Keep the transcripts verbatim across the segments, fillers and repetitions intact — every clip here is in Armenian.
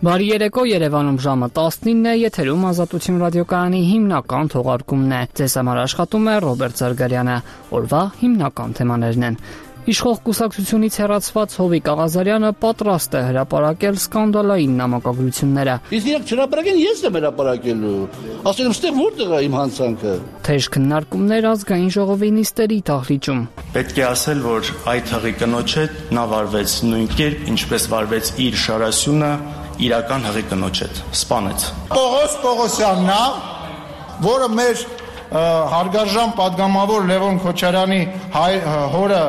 Բարի երեկո, Երևանում ժամը տասնինն է, եթերում Ազատություն ռադիոկայանի հիմնական թողարկումն է։ Ձեզ համար աշխատում է Ռոբերտ Զարգարյանը։ Օրվա հիմնական թեմաներն են. Իշխող կուսակցությունից հեռացված Հովիկ Աղազարյանը պատրաստ է հրապարակել սկանդալային նամակագրությունները։ Իսկ իրենք հրապարակեն, ես եմ հրապարակելու։ Ասել եմ, ստեղ որտեղ է իմ հանցանքը։ Թեժ քննարկումներ ազգային ժողովի նիստերի դահլիճում։ Պետք է ասել, որ այդ հղի կնոջ հետ նա վարվեց նույն կերպ, ինչպես վարվեց իր Շարասյունը իրական հղի կնոջ հետ, սպանեց։ Պողոս Պողոսյանն է, որը մեր հարգարժան պատգամավոր Լևոն Քոչարյանի հորը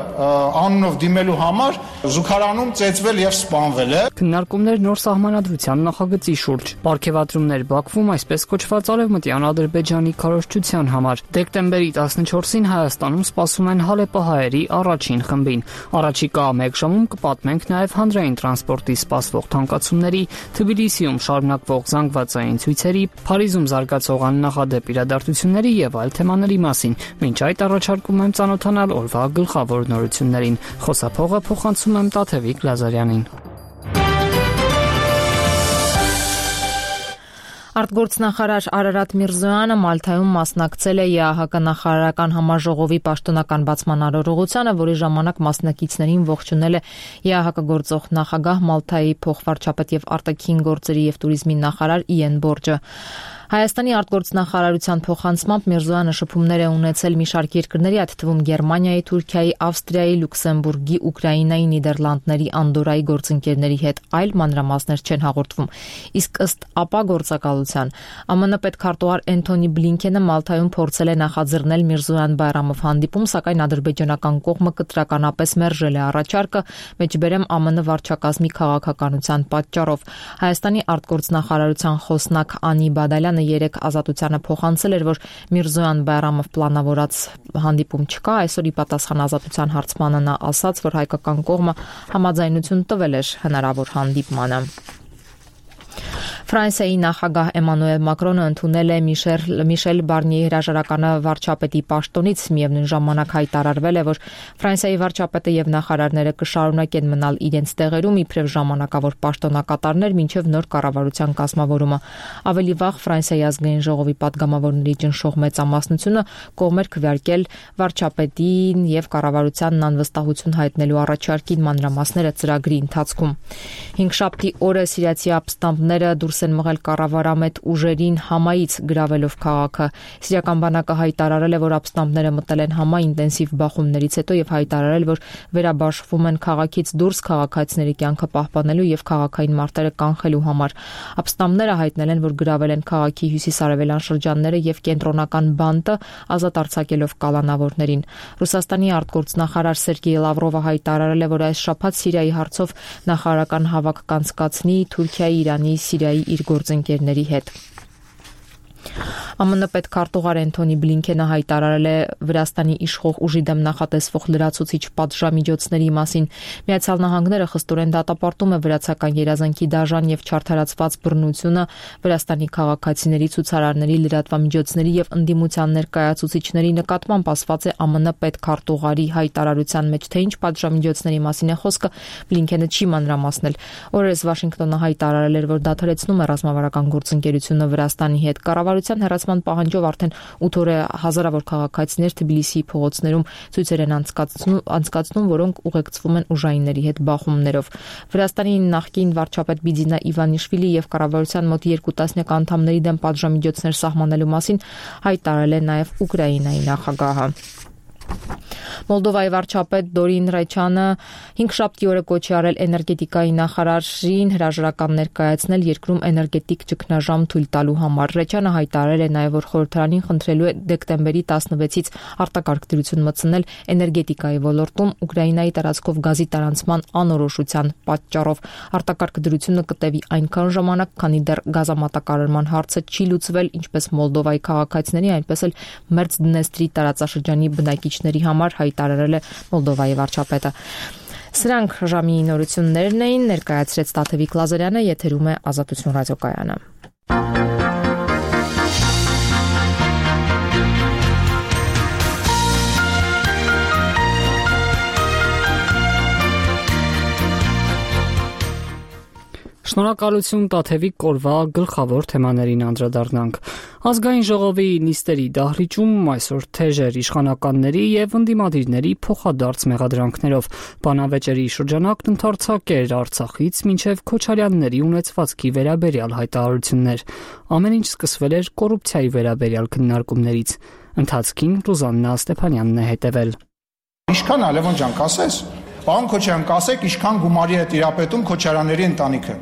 անունով դիմելու համար զուգարանում ծեծվել եւ սպանվել է։ Քննարկումներ նոր սահմանադրության նախագծի շուրջ, պարգևատրումներ Բաքվում այսպես կոչված արևմտյան Ադրբեջանի քարոզչության համար։ Դեկտեմբերի տասնչորսին Հայաստանում սպասում են հալեպահայերի առաջին խմբին։ Առաջիկա մեկ ժամում կպատմենք նաեւ հանրային տրանսպորտի սպասվող թանկացումների, Թբիլիսիում շարունակվող զանգվածային ցույցերի, Փարիզում զարգացող աննախադեպ իրադարձությունների եւ այլ թեմաների մասին։ Մինչ այդ առաջարկում եմ ծանոթանալ օրվա գլխավոր նորություններին։ Խոսափողը փոխանցում եմ Տաթևիկ Լազարյանին։ Արտգործնախարար Արարատ Միրզոյանը Մալթայում մասնակցել է ԵԱՀԿ նախարարական համաժողովի պաշտոնական բացման արարողությանը, որի ժամանակ մասնակիցներին ողջունել է ԵԱՀԿ գործող նախագահ Մալթայի փոխվարչապետ եւ արտաքին գործերի եւ туриզմի նախարար Իեն Բորջը։ Հայաստանի արտգործնախարարության փոխանցմամբ Միրզոյանը շփումներ է ունեցել մի շարք երկրների, այդ թվում Գերմանիայի, Թուրքիայի, Ավստրիայի, Լյուքսեմբուրգի, Ուկրաինայի, Նիդերլանդների, Անդորայի գործընկերների հետ, այլ մանրամասներ չեն հաղորդվում։ Իսկ ըստ ԱՊԱ գործակալության ԱՄՆ պետքարտուղար Էնթոնի Բլինքենը Մալթայում փորձել է նախաձեռնել Միրզոյան Բայրամով հանդիպում, սակայն ադրբեջանական կողմը կտրականապես մերժել է առաջարկը, մեջբերեմ ԱՄՆ վարչակազմի քաղաքականության պատճառով։ Հայաստանի արտգործնախարարության խոսնակ Անի Բադալյանը երեք Ազատությանը փոխանցել էր, որ Միրզոյան Բայրամով պլանավորած հանդիպում չկա, այսօր ի պատասխան Ազատության հարցմանը նա ասաց, որ հայկական կողմը համաձայնություն տվել էր հնարավոր հանդիպմանը։ Ֆրանսիայի նախագահ Էմանուել Մակրոնը ընդունել է Միշել Միշել Բարնիեի հրաժարականը վարչապետի պաշտոնից, միևնույն ժամանակ հայտարարվել է, որ Ֆրանսիայի վարչապետը եւ նախարարները կշարունակեն մնալ իրենց տեղերում իբրև ժամանակավոր պաշտոնակատարներ մինչեւ նոր կառավարության կազմավորումը։ Ավելի վաղ Ֆրանսիայի ազգային ժողովի падգամավորների ճնշող մեծամասնությունը կողմ էր քվեարկել վարչապետին եւ կառավարությանն անվստահություն հայտնելու առաջարկին մանրամասները ծրագրի ընթացքում։ Հինգշաբթի օրը սիրիացի ապստամբները դուրս են մղել կառավարամետ ուժերին Համայից գրավելով քաղաքը։ Սիրիական բանակը հայտարարել է, որ ապստամբները մտել են Համա ինտենսիվ բախումներից հետո եւ հայտարարել, որ վերաբաշխվում են քաղաքից դուրս քաղաքացիների կյանքը պահպանելու եւ քաղաքային մարտերը կանխելու համար։ Ապստամբները հայտնել են, որ գրավել են քաղաքի հյուսիսարևելյան շրջանները եւ կենտրոնական բանտը, ազատ արձակելով կալանավորներին։ Ռուսաստանի արտգործնախարար Սերգեյ Լավրովը հայտարարել է, որ այս շաբաթ Սիրիայի հարցով նախարարական հավաք կանցկացնի Թուրքիայի, Իրանի, Սիրիայի իր գործընկերների հետ։ ԱՄՆ պետքարտուղար Էնթոնի Բլինքենը հայտարարել է Վրաստանի իշխող ուժի դեմ նախատեսվող լրացուցիչ պատժամիջոցների մասին։ Միացյալ Նահանգները խստորեն դատապարտում է վրացական երազանքի դաժան եւ չարթարացված բռնությունը Վրաստանի քաղաքացիների, ցուցարարների, լրատվամիջոցների եւ ընդդիմության ներկայացուցիչների նկատմամբ, ասված է ԱՄՆ պետքարտուղարի հայտարարության մեջ, թե ինչ պատժամիջոցների մասին է խոսքը, Բլինքենը չի մանրամասնել։ Օրերս Վաշինգտոնը հայտարարել էր, որ դադարեցնում է ռազմավարական գործընկերությունը Վրաստանի հետ։ Կառավարության հեռացման պահանջով արդեն ութ օր է հազարավոր քաղաքացիներ Թբիլիսիի փողոցներում ցույցեր են անցկացնում, անցկացնում, որոնք ուղեկցվում են ուժայինների հետ բախումներով։ Վրաստանի նախկին վարչապետ Բիձինա Իվանիշվիլի եւ կառավարության մոտ երկու տասնյակ անդամների դեմ պատժամիջոցներ սահմանելու մասին հայտարարել է նաեւ Ուկրաինայի նախագահը։ Մոլդովայի վարչապետ Դորին Ռեչյանը հինգշաբթի օրը կոչ է արել էներգետիկայի նախարարին հրաժարական ներկայացնել երկրում էներգետիկ ճգնաժամ թույլ տալու համար։ Ռեչյանը հայտարարել է նաև, որ խորհրդարանին խնդրելու է դեկտեմբերի տասնվեցից արտակարգ դրություն մտցնել էներգետիկայի ոլորտում Ուկրաինայի տարածքով գազի տարանցման անորոշության պատճառով։ Արտակարգ դրությունը կտևի այնքան ժամանակ, քանի դեռ գազամատակարարման հարցը չի լուծվել ինչպես Մոլդովայի քաղաքացիների, այնպես էլ Մերձդնեստրի տարածաշրջանի բնակիչների համար, հայտարարել է Մոլդովայի վարչապետը։ Սրանք ժամի նորություններն էին, ներկայացրեց Տաթևիկ Լազարյանը, եթերում է Ազատություն ռադիոկայանը։ Շնորհակալություն Տաթևիկ Կորվա գլխավոր թեմաներին անդրադառնանք։ Ազգային ժողովի նիստերի դահլիճում այսօր թեժեր իշխանականների եւ ընդդիմադիրների փոխադարձ մեղադրանքներով բանավեճերի շրջանակն ընդարձակեր Արցախից մինչեւ Քոչարյանների ունեցվածքի վերաբերյալ հայտարարություններ։ Ամեն ինչ սկսվել էր կոռուպցիայի վերաբերյալ քննարկումներից։ Ընթացքին Ռուզաննա Ստեփանյանն է հետևել։ Ինչքան Լևոն ջան կասես, պարոն Քոչարյան, կասեք ինչքան գումարի է տիրապետում Քոչարյանների ընտանիքը։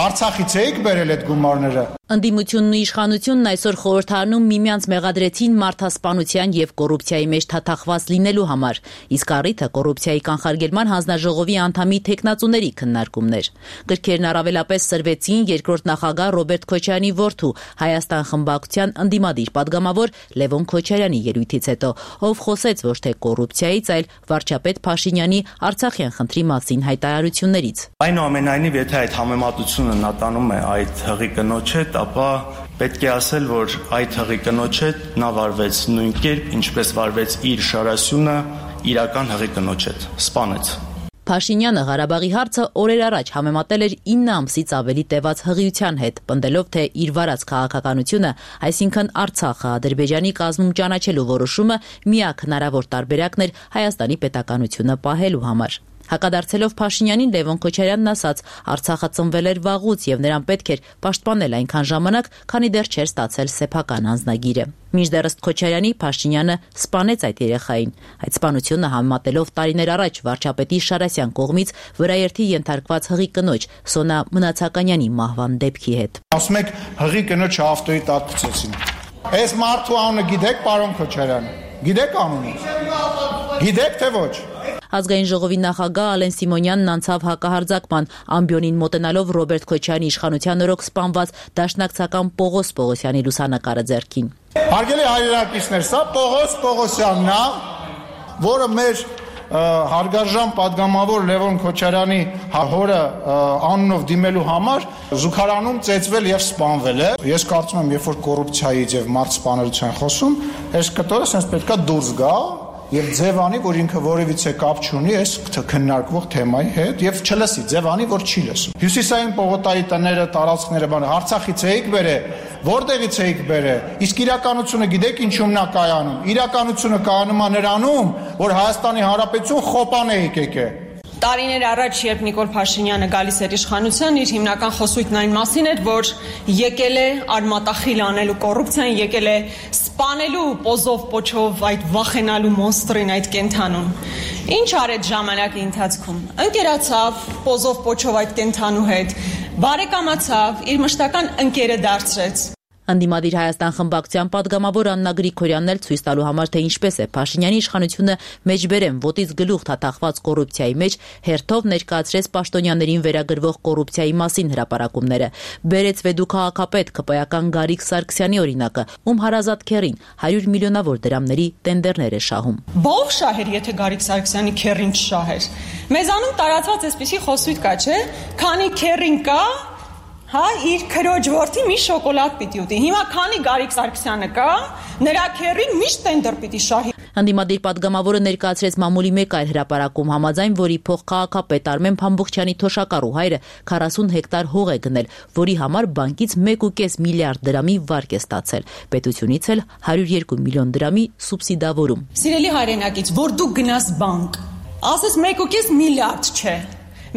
Արցախից էիք բերել այդ գումարները։ Ընդդիմությունն ու իշխանությունն այսօր խորհրդարանում միմյանց մեղադրեցին մարդասպանության եւ կոռուպցիայի մեջ թաթախված լինելու համար, իսկ առիթը կոռուպցիայի կանխարգելման հանձնաժողովի անդամի թեկնածուների քննարկումներ։ Գրքերն առավելապես սրվեցին երկրորդ նախագահ Ռոբերտ Քոչարյանի որդու Հայաստան խմբակցության ընդդիմադիր падգամավոր Լևոն Քոչարյանի ելույթից հետո, ով խոսեց ոչ թե կոռուպցիայից, այլ վարչապետ Փաշինյանի Արցախյան խնդրի մասին հայտարարություններից։ Այնուամենայնիվ, եթե այդ համեմատությունը նա տանում է այդ հղի կնոջ հետ, ապա պետք է ասել, որ այդ հղի կնոջ հետ նա վարվեց նույն կերպ, ինչպես վարվեց իր շարասյունը իրական հղի կնոջ հետ, սպանեց։ Փաշինյանը Ղարաբաղի հարցը օրեր առաջ համեմատել էր ինը ամսից ավելի տևած հղիության հետ, պնդելով, թե իր վարած քաղաքականությունը, այսինքն Արցախը Ադրբեջանի կազմում ճանաչելու որոշումը միակ հնարավոր տարբերակն էր Հայաստանի պետականությունը պահելու համար։ Հակադարձելով Փաշինյանին, Լևոն Քոչարյանն ասաց, Արցախը ծնվել էր վաղուց եւ նրան պետք էր պաշտպանել այնքան ժամանակ, քանի դեռ չէր ստացել սեփական անձնագիրը։ Մինչդեռ ըստ Քոչարյանի Փաշինյանը սպանեց այդ երեխային։ Այդ սպանությունը համեմատելով տարիներ առաջ վարչապետի Շարասյան կողմից վրաերթի ենթարկված հղի կնոջ Սոնա Մնացականյանի մահվան դեպքի հետ։ Ասում եք հղի կնոջը ավտոյի տակ գցեցին։ Այս մարդու անունը գիտեք, պարոն Քոչարյան։ Գիտեք անունը։ Գիտեք թե ոչ։ Ազգային ժողովի նախագահ Ալեն Սիմոնյանն անցավ հակահարձակման, ամբիոնին մոտենալով Ռոբերտ Քոչարյանի իշխանության օրոք սպանված դաշնակցական Պողոս Պողոսյանի լուսանկարը ձեռքին։ Հարգելի հայրենակիցներ, սա Պողոս Պողոսյանն է, որը մեր հարգարժան падգամավոր Լևոն Քոչարյանի հորը անունով դիմելու համար զուգարանում ծեծվել եւ սպանվել է։ Ես կարծում եմ, երբ որ կոռուպցիայից եւ մարդ սպանելուց են խոսում, այս կտորը sense պետքա դուրս գա եւ ձևանի, որ ինքը որևիցե կապ չունի այս քննարկվող թեմայի հետ եւ չլսի, ձևանի, որ չի լսում։ Հյուսիսային Պողոտայի տները, տարածքները, բանը Արցախից էիք բերել, որտեղից էիք բերել։ Իսկ իրականությունը գիտեք ինչումն է կայանում։ Իրականությունը կայանում է նրանում, որ Հայաստանի Հանրապետություն խոպան էիք եկել։ Տարիներ առաջ, երբ Նիկոլ Փաշինյանը գալիս էր իշխանության, իր հիմնական խոսույթն այն մասին էր, որ եկել է արմատախիլ անելու կոռուպցիան, եկել է սպանելու պոզով պոչով այդ վախենալու մոնստրին, այդ կենթանուն։ Ինչ արեց ժամանակի ընթացքում։ Ընկերացավ պոզով պոչով այդ կենթանու հետ, բարեկամացավ, իր մշտական ընկերը դարձրեց։ Ընդդիմադիր Հայաստան խմբակցության падգամավոր Աննա Գրիգորյանն էլ ցույց տալու համար, թե ինչպես է Փաշինյանի իշխանությունը մեջբերեմ ոտից գլուխ թաթախված կոռուպցիայի մեջ հերթով ներկայացրեց պաշտոնյաներին վերագրվող կոռուպցիայի մասին հրապարակումները։ Բերեց վեդու քաղաքապետ քպայական Գարիկ Սարգսյանի օրինակը, ում հարազատ քեռին հարյուր միլիոնավոր դրամների տենդերներ է շահում։ Բող շահեր, եթե Գարիկ Սարգսյանի քեռին չշահեր։ Մեզանում տարածված էսպիսի խոսույթ կա, չէ՞, քանի քեռին կա, հա, իր քրոջ որդի մի շոկոլադ պիտի ուտի։ Հիմա քանի Գարիկ Սարգսյանը կա, նրա քեռին միշտ տենդեր պիտի շահի։ Ընդդիմադիր падգամավորը ներկայացրեց մամուլի մեկ այլ հրապարակում, համաձայն որի փոխքաղաքապետ Արմեն Փամբուխչյանի թոշակառու հայրը քառասուն հեկտար հող է գնել, որի համար բանկից մեկ ու կես միլիարդ դրամի վարկ է ստացել, պետությունից էլ հարյուր երկու միլիոն դրամի սուբսիդավորում։ Սիրելի հայրենակից, որ դու գնաս բանկ, ասես մեկ ու կես միլիարդ չէ,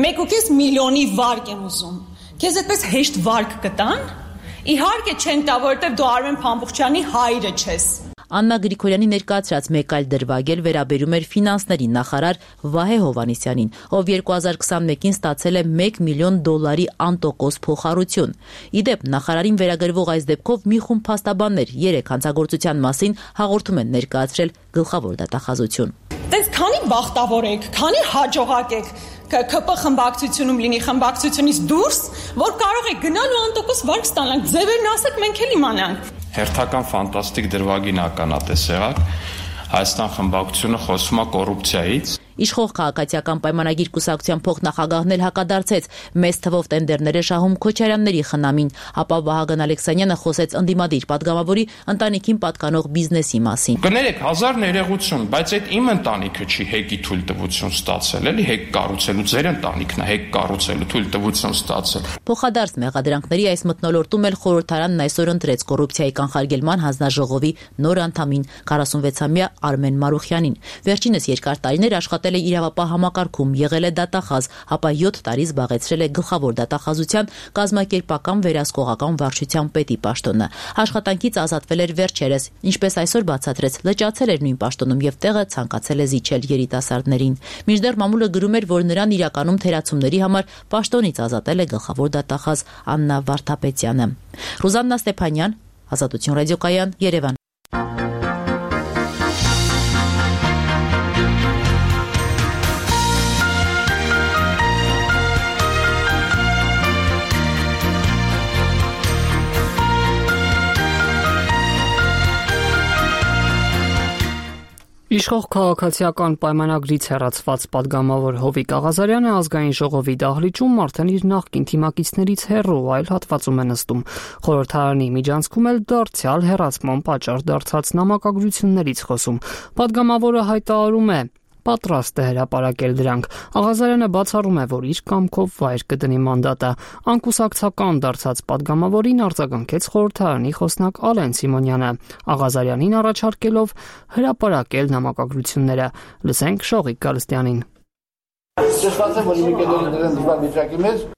մեկ ու կես միլիոնի վարկ եմ ուզում։ Քեզ այդպես հեշտ վարկ կտան։ Իհարկե չեն տա, որովհետև դու Արմեն Փամբուխչյանի հայրը չես։ Աննա Գրիգորյանի ներկայացրած մեկ այլ դրվագ էլ վերաբերում էր ֆինանսների նախարար Վահե Հովհաննիսյանին, ով երկու հազար քսանմեկին ստացել է մեկ միլիոն դոլարի անտոկոս փոխառություն։ Իդեպ նախարարին վերագրվող այս դեպքով մի խումբ փաստաբաններ երեք հանցագործության մասին հաղորդում են ներկայացրել գլխավոր դատախազություն։ Տես քանի բախտավոր եք, քանի հաջողակ եք, ԿՓ խմբակցությունում լինի, խմբակցությունից դուրս, որ կարող եք գնալ ու անտոկոս վարկ ստանալ, ձևերն ասեք, մենք էլ իմանանք։ Հերթական ֆանտաստիկ դրվագին ականատես եղաք, Հայաստան խմբակցությունը խոսում է կոռուպցիայից։ Իշխող քաղաքացիական պայմանագիր կուսակցության փոխնախագահն էլ հակադարձեց մեծ թվով տենդերներ է շահում Քոչարյանների խնամին, ապա Վահագն Ալեքսանյանը խոսեց ընդդիմադիր падգամավորի ընտանիքին պատկանող բիզնեսի մասին։ Կներեք, հազար ներողություն, բայց այդ իմ ընտանիքը չի հեկի թույլտվություն ստացել, էլի հեկ կառուցելու, ձեր ընտանիքն է հեկ կառուցելու թույլտվություն ստացել։ Փոխադարձ մեղադրանքների այս մթնոլորտում էլ խորհրդարանն այսօր ընտրեց կոռուպցիայի կանխարգելման հանձնաժողովի նոր անդամին քառասունվեցամյա Արմեն Մարուխյանին։ Վերջինս երկար տարիներ աշխատել է իրավապահ համակարգում, եղել է դատախազ, ապա յոթ տարի զբաղեցրել է գլխավոր դատախազության կազմակերպական վերահսկողական վարչության պետի պաշտոնը։ Աշխատանքից ազատվել էր վերջերս, ինչպես այսօր բացատրեց, լճացել էր նույն պաշտոնում եւ տեղը ցանկացել է զիջել երիտասարդներին։ Մինչդեռ մամուլը գրում էր, որ նրան իրականում թերացումների համար պաշտոնից ազատել է գլխավոր դատախազ Աննա Վարդապետյանը։ Ռուզաննա Ստեփանյան, Ազատություն ռադիոկայան, Երևան։ Իշխող քաղաքացիական պայմանագրից հեռացված падգամավոր Հովիկ Աղազարյանը ազգային ժողովի դահլիճում արդեն իր նախկին թիմակիցներից հեռու այլ հատվածում է նստում։ Խորհրդարանի միջանցքում էլ դարձյալ հեռացման պատճառ դարձած նամակագրություններից խոսում։ Падգամավորը հայտարարում է պատրաստ է հրապարակել դրանք։ Աղազարյանը բացառում է, որ իր կամքով վայր կդնի մանդատը։ Անկուսակցական դարձած падգամավորին արձագանքեց խորհրդարանի խոսնակ Ալեն Սիմոնյանը, Աղազարյանին առաջարկելով հրապարակել նամակագրությունները։ Լսենք Շողիկ Գալստյանին։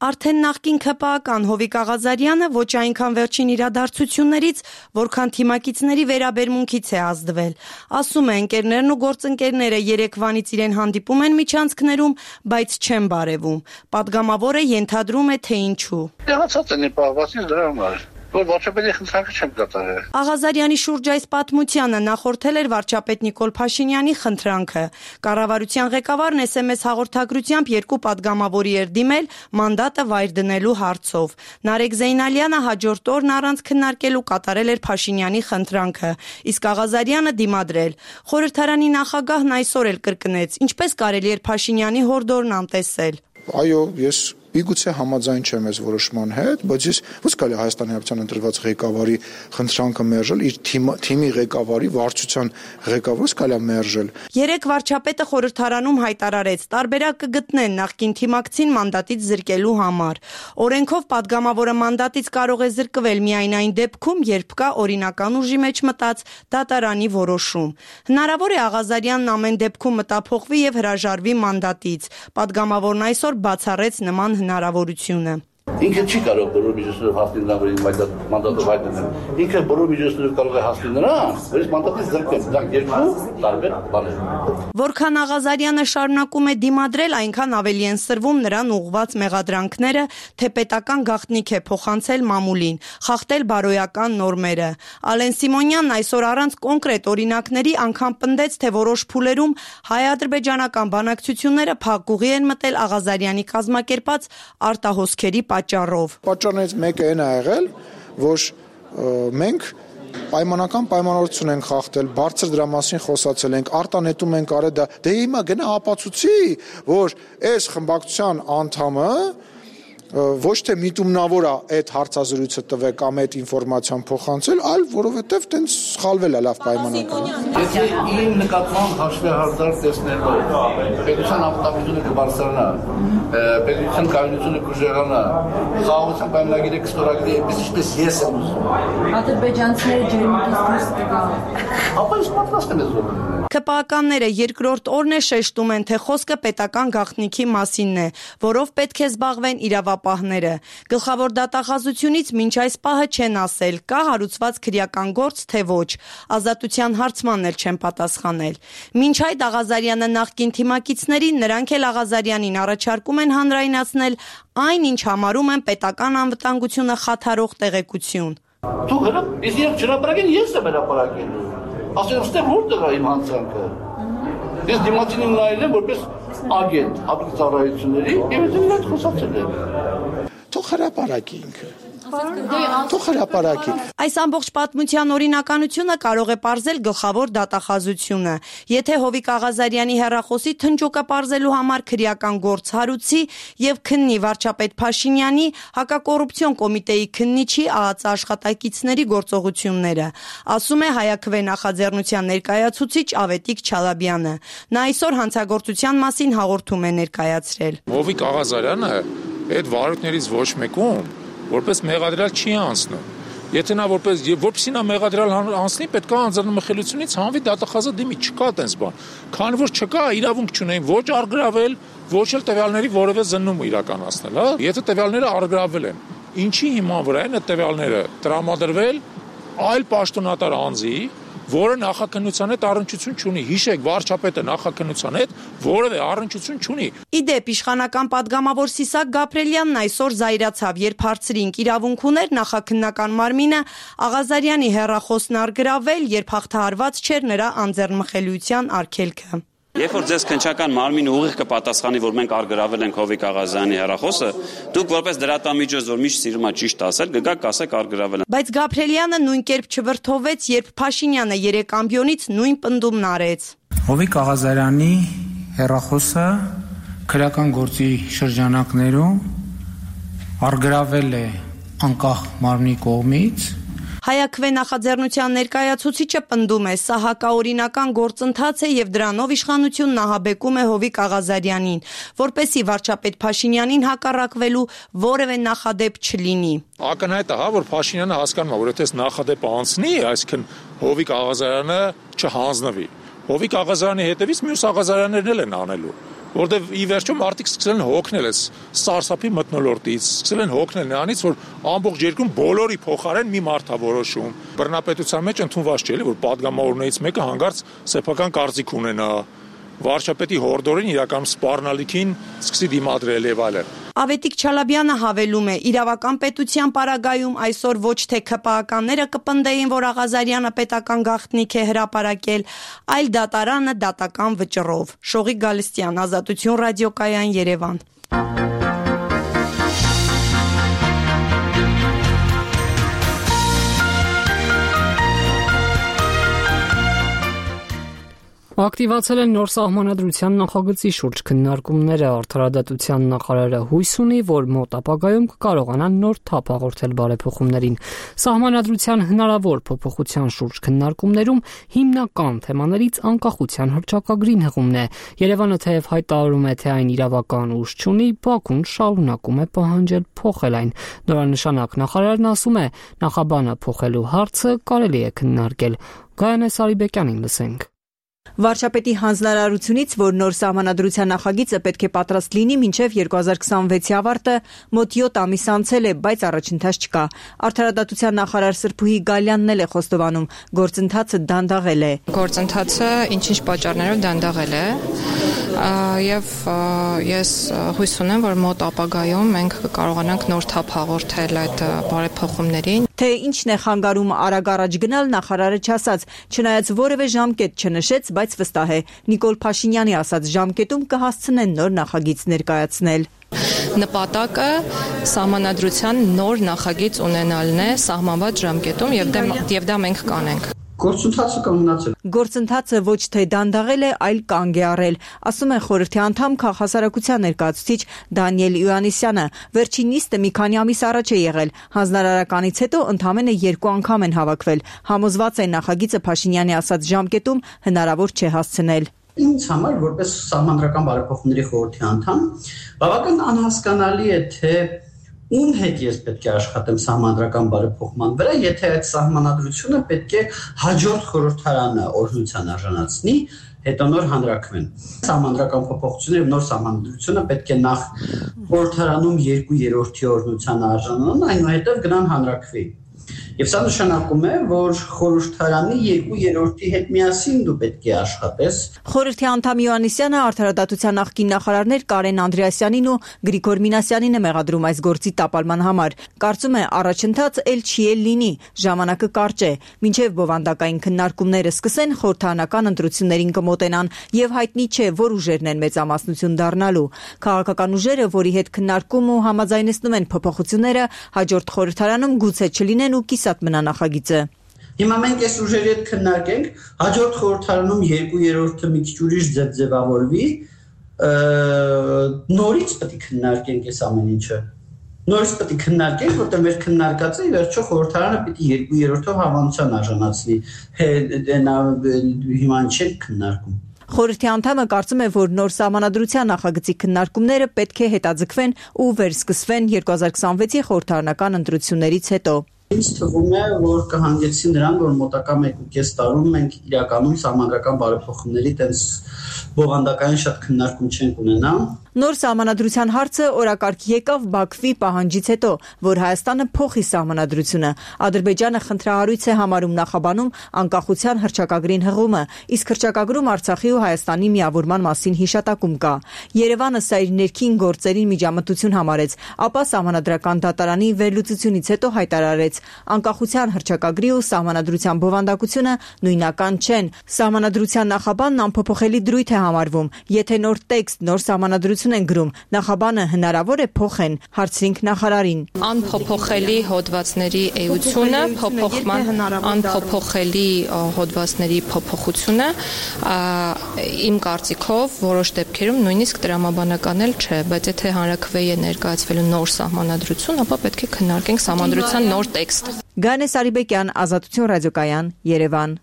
Արդեն նախկին ՔՊԱ-ական Հովիկ Աղազարյանը ոչ այնքան վերջին իրադարձություններից, որքան թիմակիցների վերաբերմունքից է ազդվել։ Ասում է, ընկերներն ու գործընկերները երեկվանից իրեն հանդիպում են միջանցքներում, բայց չեն բարևում։ Պատգամավորը ենթադրում է, թե ինչու։ Տեղացած են պահվածից դրա համար։ Որ վարչապետի խնդրանքը չեմ կատարել։ Աղազարյանի շուրջ այս պատմությանը նախորդել էր վարչապետ Նիկոլ Փաշինյանի խնդրանքը։ Կառավարության ղեկավարն էս էմ էս հաղորդագրությամբ երկու падգամավորի էր դիմել մանդատը վայր դնելու հարցով։ Նարեկ Զեյնալյանը հաջորդ օրն առանց քննարկելու կատարել էր Փաշինյանի խնդրանքը, իսկ Աղազարյանը դիմադրել։ Խորհրդարանի նախագահն այսօր էլ կրկնեց, ինչպես կարելի էր Փաշինյանի հորդորն անտեսել։ Այո, ես Միգուցե համաձայն չեմ այս որոշման հետ, բայց ես ո՞ց կարելի Հայաստանի Հանրապետության ընտրված ղեկավարի խնդրանքը մերժել, իր թիմի ղեկավարի, վարչության ղեկավարը կարելի մերժել։ Երեք վարչապետը խորհրդարանում հայտարարեց, տարբերակ կգտնեն նախկին թիմակցին մանդատից զրկելու համար։ Օրենքով падգամավորը մանդատից կարող է զրկվել միայն այն դեպքում, երբ կա օրինական ուժի մեջ մտած դատարանի որոշում։ Հնարավոր է Աղազարյանն ամեն դեպքում մտափոխվի եւ հրաժարվի մանդատից։ Падգամավորն այսօր բացառեց նման հնարավորությունը։ Ինքը չի կարող բոլոր միջոցներով հասնել նրան, որ մանդատը վայր դնել։ Ինքը բոլոր միջոցներով կարող է հասնել նրան, որ ის մանդատից զրկել։ Դրանք երկու տարբեր բաներ են։ Որքան Աղազարյանը շարունակում է դիմադրել, այնքան ավելի են սրվում նրան ուղղված մեղադրանքները, թե պետական գաղտնիք է փոխանցել մամուլին, խախտել բարոյական նորմերը։ Ալեն Սիմոնյանն այսօր առանց կոնկրետ օրինակների անգամ պնդեց, թե որոշ փուլերում հայ-ադրբեջանական բանակցությունները փակուղի են մտել Աղազարյանի կազմակերպած արտահոսքերի պատճառով։ Պատճառներից մեկը այն է եղել, որ մենք պայմանական պայմանավորություն ենք խախտել, բարձր դրա մասին խոսացել ենք, արտանետում ենք արել դա։ Դե հիմա գնա ապացուցի, որ այս խմբակցության անդամը ոչ թե միտումնավոր է այդ հարցազրույցը տվել կամ այդ ինֆորմացիան փոխանցել, այլ որովհետև տենց սխալվել է լավ պայմանական։ Եթե իմ նկատմամբ հաշվի հարցեր տեսնելով, պետության ապտակությունը կբարձրանա, պետության կայունությունը կուժեղանա, խաղաղության պայմանագիրը կստորագրի, այսպես ես եմ ուզում։ Ադրբեջանցիները ջերմուկից դուրս կգան։ Ապա ես պատրաստ եմ զորում։ ՔՊԱ-ականները երկրորդ օրն է շեշտում են, թե խոսքը պետական գաղտնիքի մասինն է, որով պետք է զբաղվեն իրավապահները։ Գլխավոր դատախազությունից մինչ այս պահը չեն ասել, կա հարուցված քրեական գործ, թե ոչ։ Ազատության հարցմանն էլ չեն պատասխանել։ Մինչ այդ Աղազարյանը նախկին թիմակիցներին, նրանք էլ Աղազարյանին առաջարկում են հանրայնացնել այն, ինչ համարում են պետական անվտանգությունը խաթարող տեղեկություն։ Դու հələ ես իրենք չհրապարակեն, ես եմ հրապարակելու։ Ասեն, ստեղ որտեղ է իմ հանցանքը։ Ես դիմացինին նայել եմ որպես ագենտ հատուկ ծառայությունների եւ ես նրանց խոսացել եմ։ Թող հրապարակի ինքը։ Թող հրապարակի։ Այս ամբողջ պատմության օրինականությունը կարող է պարզել գլխավոր դատախազությունը։ Եթե Հովիկ Աղազարյանի հեռախոսի թնջոկը պարզելու համար քրեական գործ հարուցի եւ քննի վարչապետ Փաշինյանի հակակոռուպցիոն կոմիտեի քննիչի ԱԱԾ աշխատակիցների գործողությունները, ասում է Հայաքվե նախաձեռնության ներկայացուցիչ Ավետիք Չալաբյանը։ Նա այսօր հանցագործության մասին հաղորդում է ներկայացրել։ Հովիկ Աղազարյանը այդ վարորդներից ոչ մեկում որպես մեղադրյալ չի անցնում։ Եթե նա որպես որպեսզի նա մեղադրյալ անցնի, պետք է անձնամխելությունից հանվի դատախազը դիմի, չկա այդպես բան։ Քանի որ չկա, իրավունք չունեն ոչ արգրավել, ոչ էլ տվյալների որևէ զննում իրականացնել, հա։ Եթե տվյալները արգրավել են, ինչի հիման վրա են այդ տվյալները տրամադրվել այլ պաշտոնատար անձի, որը նախաքննության հետ առնչություն չունի։ Հիշեք, վարչապետը նախաքննության հետ որևէ առնչություն չունի։ Իդեպ իշխանական падգամավոր Սիսակ Գաբրելյանն այսօր զայրացավ, երբ հարցրինք իրավունք ուներ նախաքննական մարմինը Աղազարյանի հեռախոսն արգրավել, երբ հաղթահարված չէր նրա անձեռնմխելիության արգելքը։ Երբ որ ձեզ քննչական մարմինը ուղիղ կպատասխանի, որ մենք արգրավել ենք Հովիկ Աղազարյանի հեռախոսը, դուք որպես դրատամիջոց, որ միշտ սիրում ա ճիշտ ասել, կգաք կասեք արգրավել են։ Բայց Գաբրելյանը նույն կերպ չվրդովեց, երբ Փաշինյանը երեք ամբիոնից նույն պնդումն արեց։ Հովիկ Աղազարյանի հեռախոսը քրեական գործի շրջանակներում արգրավել է անկախ մարմնի կողմից։ Հայաքվե նախաձեռնության ներկայացուցիչը պնդում է, սա հակաօրինական գործընթաց է եւ դրանով իշխանությունն ահաբեկում է Հովիկ Աղազարյանին, որպեսի վարչապետ Փաշինյանին հակառակվելու որևէ նախադեպ չլինի։ Ակնհայտ է, հա, որ Փաշինյանը հասկանում է, որ եթե նախադեպը անցնի, այսինքն Հովիկ Աղազարյանը չհանձնվի։ Հովիկ Աղազարյանի հետևից մյուս Աղազարյաններն էլ են անելու, որտեղ ի վերջո մարդիկ սկսել են հոգնել այս սարսափի մթնոլորտից, սկսել են հոգնել նրանից, որ ամբողջ երկրում բոլորի փոխարեն մի մարդ է որոշում։ Բռնապետության մեջ ընդունված չէ, որ падգամավորներից մեկը հանգարց սեփական կարծիք ունենա, վարչապետի հորդորին իրական սպառնալիքին սկսի դիմադրել եւ այլն։ Ավետիք Չալաբյանը հավելում է, իրավական պետության պարագայում այսօր ոչ թե ՔՊԱ-ականները կպնդեին, որ Աղազարյանը պետական գաղտնիք է հրապարակել, այլ դատարանը դատական վճռով։ Շողիկ Գալստյան, Ազատություն ռադիոկայան, Երևան։ Ակտիվացել են նոր սահմանադրության նախագծի շուրջ քննարկումները, արդարադատության նախարարը հույս ունի, որ մոտ ապագայում կկարողանան նոր թափ հաղորդել բարեփոխումներին։ Սահմանադրության հնարավոր փոփոխության շուրջ քննարկումներում հիմնական թեմաներից անկախության հռչակագրին հղումն է։ Երևանը թեև հայտարարում է, թե այն իրավական ուժ չունի, Բաքուն շարունակում է պահանջել փոխել այն։ Նորանշանակ նախարարն ասում է, նախաբանը փոխելու հարցը կարելի է քննարկել։ Գայանե Սարիբեկյանին լսենք։ Վարչապետի հանձնարարությունից, որ նոր սահմանադրության նախագիծը պետք է պատրաստ լինի մինչև երկու հազար քսանվեցի ավարտը, մոտ յոթ ամիս անցել է, բայց առաջընթաց չկա։ Արդարադատության նախարար Սրփուհի Գալյանն էլ է խոստովանում, գործընթացը դանդաղել է։ Գործընթացը ինչ-ինչ պատճառներով դանդաղել է, եւ ես հույս ունեմ, որ մոտ ապագայում մենք կկարողանանք նոր թափ հաղորդել այդ բարեփոխումներին։ Թե ինչն է խանգարում արագ առաջ գնալ, նախարարը չասաց, չնայած որևէ ժամկետ չնշեց, բայց վստահ է, Նիկոլ Փաշինյանի ասած ժամկետում կհասցնեն նոր նախագիծ ներկայացնել։ Նպատակը սահմանադրության նոր նախագիծ ունենալն է սահմանված ժամկետում եւ դա, եւ դա մենք կանենք։ Գործընթացը կանգնացել։ Գործընթացը ոչ թե դանդաղել է, այլ կանգ է առել, ասում է խորհրդի անդամ քաղաքասարակության ներկայացուցիչ Դանիել Իոաննիսյանը։ Վերջին նիստը մի քանի ամիս առաջ է եղել։ Հանձնարարականից հետո ընդամենը երկու անգամ են հավաքվել։ Համոզված է նախագիծը Փաշինյանի ասած ժամկետում հնարավոր չէ հասցնել։ Ինձ համար որպես սահմանադրական բարեփոխումների խորհրդի անդամ բավական անհասկանալի է, թե ում հետ ես պետք է աշխատեմ սահմանադրական բարեփոխման վրա, եթե այդ սահմանադրությունը պետք է հաջորդ խորհրդարանը օրհնության արժանացնի, հետո նոր հանրաքվեն։ Սահմանադրական փոփոխությունները եւ նոր սահմանադրությունը պետք է նախ խորհրդարանում երկու երրորդի օրհնության արժանանան, այնուհետև գնան հանրաքվեի։ Եվ սա նշանակում է, որ խորհրդարանի երկու երրորդի հետ միասին դու պետք է աշխատես։ Խորհրդի անդամ Յոհաննիսյանը արդարադատության նախկին նախարարներ Կարեն Անդրեասյանին ու Գրիգոր Մինասյանին է մեղադրում այս գործի տապալման համար։ Կարծում է առաջընթաց էլ չի էլ լինի, ժամանակը կարճ է, մինչև բովանդակային քննարկումները սկսեն, խորհրդարանական ընտրություններին կմոտենան եւ հայտնի չէ, որ ուժերն են մեծամասնություն դառնալու։ Քաղաքական ուժերը, որի հետ քննարկում ու համաձայնեցնում են փոփոխությունները, հաջորդ խորհրդարանում գուցե չլինեն ու կիսատ մնա նախագիծը։ Հիմա մենք այս ուժերի հետ քննարկենք, հաջորդ խորհրդարանում երկու երրորդը մի քիչ ուրիշ ձև ձևավորվի, նորից պետք է քննարկենք այս ամեն ինչը։ Նորից պետք է քննարկենք, որտեղ մեր քննարկածը ի վերջո խորհրդարանը պիտի երկու երրորդով հավանության արժանացնի։ Հիմա ինչ ենք քննարկում։ Խորհրդի անդամը կարծում է, որ նոր սահմանադրության նախագծի քննարկումները պետք է հետաձգվեն ու վերսկսվեն երկու հազար քսանվեցի խորհրդարանական ընտրություններից հետո։ Ինձ թվում է, որ կհանգեցնի նրան, որ մոտակա մեկ ու կես տարում մենք իրականում սահմանադրական բարեփոխումների տես բովանդակային շատ քննարկում չենք ունենա։ Նոր սահմանադրության հարցը օրակարգ եկավ Բաքվի պահանջից հետո, որ Հայաստանը փոխի սահմանադրությունը։ Ադրբեջանը խնդրահարույց է համարում նախաբանում անկախության հռչակագրին հղումը, իսկ հռչակագրում Արցախի ու Հայաստանի միավորման մասին հիշատակում կա։ Երևանը սա իր ներքին գործերին միջամտություն համարեց, ապա սահմանադրական դատարանի վերլուծությունից հետո հայտարարեց. անկախության հռչակագրի ու սահմանադրության բովանդակությունը նույնական չեն։ Սահմանադրության նախաբանն անփոփոխելի դրույթ է համարվում։ Եթե նոր տեքստ, նոր սահմանադրություն են գրում, նախաբանը հնարավոր է փոխեն, հարցրինք նախարարին։ Անփոփոխելի հոդվածների էությունը, փոփոխման անփոփոխելի հոդվածների փոփոխությունը իմ կարծիքով որոշ դեպքերում նույնիսկ տրամաբանական էլ չէ, բայց եթե հանրաքվեի է ներկայացվելու նոր սահմանադրություն, ապա պետք է քննարկենք սահմանադրության նոր տեքստ։ Գանե Սարիբեկյան, Ազատություն ռադիոկայան, Երևան։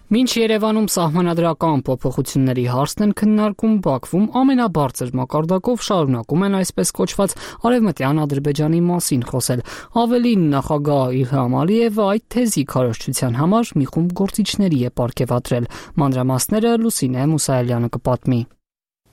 Մինչ Երևանում սահմանադրական փոփոխությունների հարցն են քննարկում, Բաքվում ամենաբարձր մակարդակով շարունակում են այսպես կոչված արևմտյան Ադրբեջանի մասին խոսել։ Ավելին, նախագահ Իլհամ Ալիևը այդ թեզի քարոզչության համար մի խումբ գործիչների է պարգևատրել։ Մանրամասները Լուսինե Մուսայելյանը կպատմի։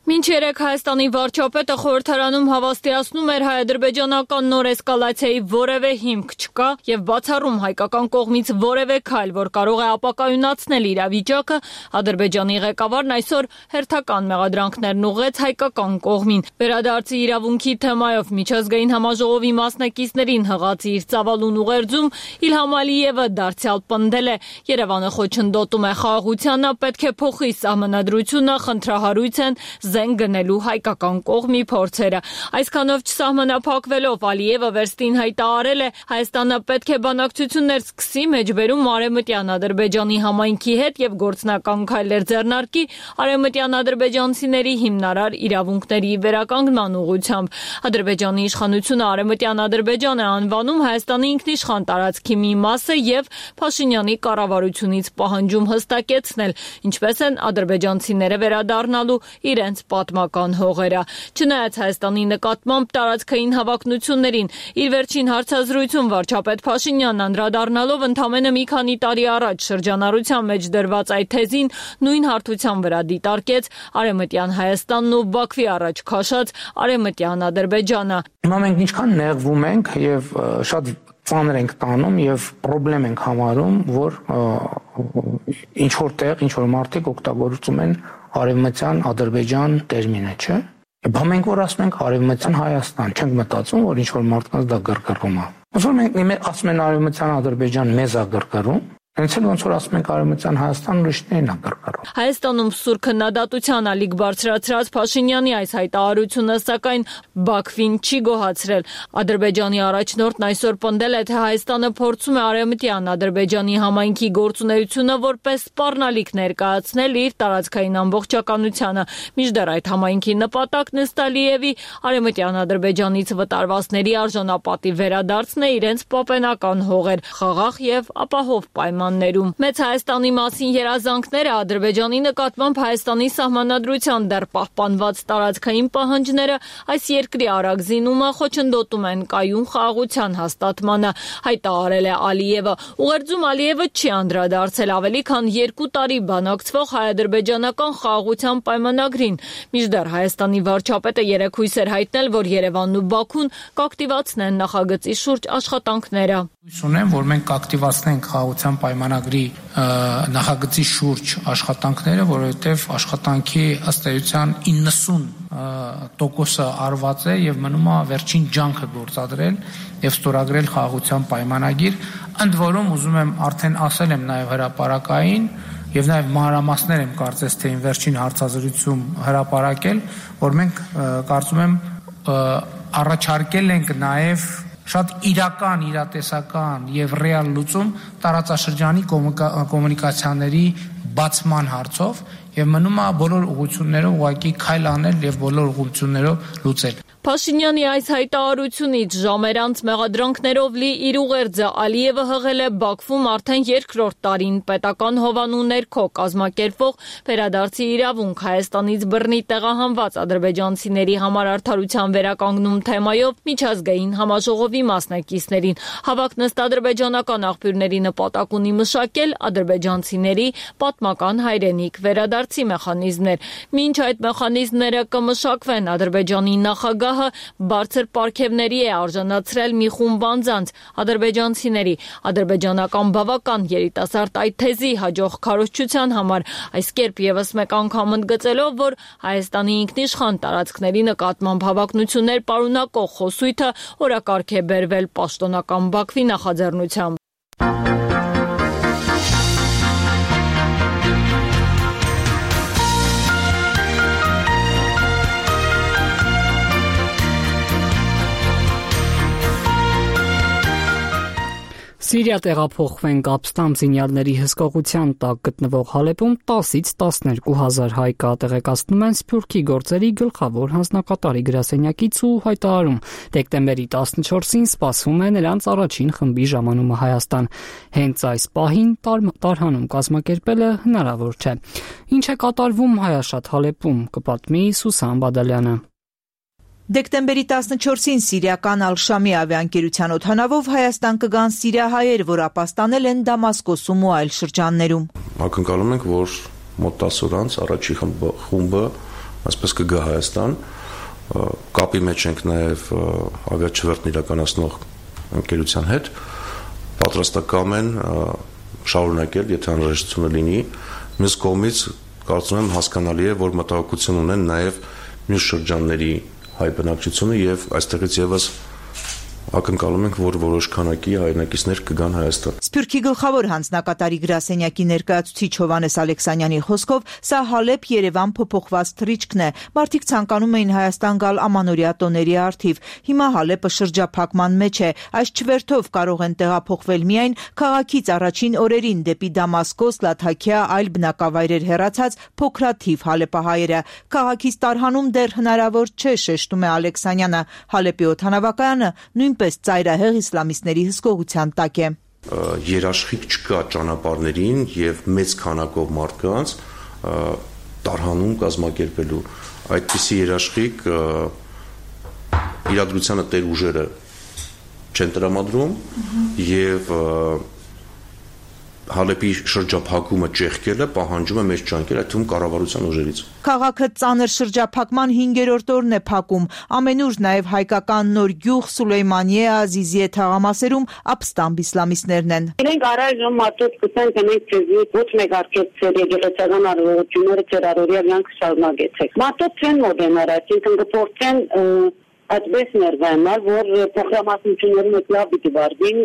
Մինչ երեկ Հայաստանի վարչապետը խորհրդարանում հավաստիացնում էր հայ-ադրբեջանական նոր էսկալացիայի որևէ հիմք չկա եւ բացառում հայկական կողմից որևէ քայլ, որ կարող է ապակայունացնել իրավիճակը, Ադրբեջանի ղեկավարն այսօր հերթական մեղադրանքներն ուղղեց հայկական կողմին։ Վերադարձի իրավունքի թեմայով միջազգային համաժողովի մասնակիցներին հղած իր ծավալուն ուղերձում Իլհամ Ալիևը դարձյալ պնդել է. Երևանը խոչընդոտում է խաղաղությանը, պետք է փոխի սահմանադրությունը, խնդրահարույց են զենք գնելու հայկական կողմի փորձերը։ Այսքանով չսահմանափակվելով Ալիևը վերստին հայտարարել է Հայաստանը պետք է բանակցություններ սկսի մեջբերում արևմտյան Ադրբեջանի համայնքի հետ եւ գործնական քայլեր ձեռնարկի արևմտյան ադրբեջանցիների հիմնարար իրավունքների վերականգնման ուղղությամբ։ Ադրբեջանի իշխանությունը արևմտյան Ադրբեջան է անվանում Հայաստանի ինքնիշխան տարածքի մի մասը եւ Փաշինյանի կառավարությունից պահանջում հստակեցնել, ինչպես են ադրբեջանցիները վերադառնալու իրենց պատմական հողերը։ Չնայած Հայաստանի նկատմամբ տարածքային հավակնություններին, իր վերջին հարցազրույցում վարչապետ Փաշինյանն անդրադառնալով ընդամենը մի քանի տարի առաջ շրջանառության մեջ դրված այդ թեզին նույն հարթության վրա դիտարկեց արևմտյան Հայաստանն ու Բաքվի առաջ քաշած արևմտյան Ադրբեջանը։ Հիմա մենք ինչքան նեղվում ենք եւ շատ ծանր ենք տանում եւ խնդրեմ ենք համարում, որ ինչ որտեղ ինչ որ մարդիկ օգտագործում են արևմտյան Ադրբեջան տերմինը, չէ՞։ Բա մենք որ ասում ենք արևմտյան Հայաստան, չենք մտածում, որ ինչ որ մարդկանց դա գրգռում է։ Ոնց որ մենք ասում են արևմտյան Ադրբեջան մեզ է գրգռում, հենց էլ ոնց որ ասում ենք արևմտյան Հայաստան ուրիշներին է գրգռում։ Հայաստանում սուր քննադատության ալիք բարձրացրած Փաշինյանի այս հայտարարությունը սակայն Բաքվին չի գոհացրել։ Ադրբեջանի առաջնորդն այսօր պնդել է, թե Հայաստանը փորձում է արևմտյան Ադրբեջանի համայնքի գործունեությունը որպես սպառնալիք ներկայացնել իր տարածքային ամբողջականությանը։ Մինչդեռ այդ համայնքի նպատակն ըստ Ալիևի արևմտյան Ադրբեջանից վտարվածների արժանապատիվ վերադարձն է իրենց պապենական հողեր, խաղաղ եւ ապահով պայման պայմաններում։ Մեծ Հայաստանի մասին երազանքները, Ադրբեջանի նկատմամբ Հայաստանի սահմանադրության դեռ պահպանված տարածքային պահանջները այս երկրի արագ զինումը խոչընդոտում են կայուն խաղաղության հաստատմանը, հայտարարել է Ալիևը։ Ուղերձում Ալիևը չի անդրադարձել ավելի քան երկու տարի բանակցվող հայ-ադրբեջանական խաղաղության պայմանագրին, մինչդեռ Հայաստանի վարչապետը երեկ հույս էր հայտնել, որ Երևանն ու Բաքուն կակտիվացնեն նախագծի շուրջ աշխատանքները։ Հույս ունեմ, որ մենք կակտիվացնենք խաղաղության պայմանագրի նախագծի շուրջ աշխատանքները, որովհետև աշխատանքի ըստ էության իննսուն տոկոսը արված է եւ մնում է վերջին ջանքը գործադրել եւ ստորագրել խաղաղության պայմանագիր, ընդ որում ուզում եմ արդեն ասել եմ նաեւ հրապարակային եւ նաեւ մանրամասներ եմ կարծես թե վերջին հարցազրույցում հրապարակել, որ մենք կարծում եմ առաջարկել ենք նաեւ շատ իրական, իրատեսական եւ ռեալ լուծում տարածաշրջանի կոմունիկացիաների բացման հարցով եւ մնում է բոլոր ուղղություններով ուղղակի քայլ անել եւ բոլոր ուղղություններով լուծել։ Փաշինյանի այս հայտարարությունից ժամեր անց մեղադրանքներով լի իր ուղերձը Ալիևը հղել է Բաքվում արդեն երկրորդ տարին պետական հովանու ներքո կազմակերպվող վերադարձի իրավունք Հայաստանից բռնի տեղահանված ադրբեջանցիների համար արդարության վերականգնում թեմայով միջազգային համաժողովի մասնակիցներին։ Հավաքն ըստ ադրբեջանական աղբյուրների նպատակ ունի մշակել ադրբեջանցիների պատմական հայրենիք վերադարձի մեխանիզմներ։ Մինչ այդ մեխանիզմները կմշակվեն, Ադրբեջանի նախագահ բարձր պարգևների է արժանացրել մի խումբ անձանց, ադրբեջանցիների, ադրբեջանական բավական երիտասարդ այդ թեզի հաջող քարոզչության համար, այս կերպ եւս մեկ անգամ ընդգծելով, որ Հայաստանի ինքնիշխան տարածքների նկատմամբ հավակնություններ պարունակող խոսույթը օրակարգ է բերվել պաշտոնական Բաքվի նախաձեռնությամբ։ Սիրիա տեղափոխվեն Կապստան զինյալների հսկողության տակ գտնվող Հալեպում տասից տասներկու հազար հայ կա, տեղեկացնում են Սփյուռքի գործերի գլխավոր հանձնակատարի գրասենյակից ու հայտարարում. դեկտեմբերի տասնչորսին սպասվում է նրանց առաջին խմբի ժամանումը Հայաստան։ Հենց այս պահին տարհանում կազմակերպելը հնարավոր չէ։ Ինչ է կատարվում հայաշատ Հալեպում, կպատմի Սուսան Բադալյանը։ Դեկտեմբերի տասնչորսին սիրիական Ալ-Շամի ավիաընկերության օդանավով Հայաստան կգան սիրիահայեր, որ ապաստանել են Դամասկոսում ու այլ շրջաններում։ Ակնկալում ենք, որ մոտ տասը օր անց առաջի խումբը այսպես կգա Հայաստան, կապի մեջ ենք նաև ավիաչվերթն իրականացնող ընկերության հետ, պատրաստակամ են շարունակել, եթե անհրաժեշտությունը լինի։ Մյուս կողմից կարծում եմ հասկանալի է, որ մտահոգություն ունեն նաև մյուս շրջանների հայ բնակչությունը եւ այստեղից եւս ակնկալում ենք, որ որոշ քանակի հայրենակիցներ կգան Հայաստան։ Սփյուռքի գլխավոր հանձնակատարի գրասենյակի ներկայացուցիչ Հովհաննես Ալեքսանյանի խոսքով, սա Հալեբ-Երևան փոփոխված թռիչքն է։ Մարդիկ ցանկանում էին Հայաստան գալ ամանորյա տոների առթիվ։ Հիմա Հալեպը շրջափակման մեջ է։ Այս չվերթով կարող են տեղափոխվել միայն քաղաքից առաջին օրերին դեպի Դամասկոս, Լաթաքիա, այլ բնակավայրեր հեռացած փոքրաթիվ հալեպահայերը։ Քաղաքից տարհանում դեռ հնարավոր չէ, շեշտում է Ալեքսանյանը։ Հալեպի օդանավակայանը նույնպես ծայրահեղ իսլամիստների հսկողության տակ է։ Երաշխիք չկա ճանապարհներին եւ մեծ քանակով մարդկանց տարհանում կազմակերպելու։ Այդպիսի երաշխիք իրադրությանը տեր ուժերը չեն տրամադրում եւ Հալեպի շրջափակումը ճեղքելը պահանջում է մեծ ջանքեր, այդ թվում կառավարության ուժերից։ Քաղաքը ծանր շրջափակման հինգերորդ օրն է փակում։ Ամենուր նաև հայկական նոր գյուղ Սուլեյմանիե Ազիզիե թաղամասերում ապստամբ իսլամիստներն են։ Իրենք առայժմ մատոց կուսեն, թե մենք ձեզի ոչ մեկ արկեցել եկեղեցական առողջությունները ձեր առօրյա կյանքը շարունակեցեք։ Մատոց չեն մոդենալ, այսինքն կփորձեն այդպես ներվայանալ, որ փոխհամասություններում եք լավ պիտի վարվին,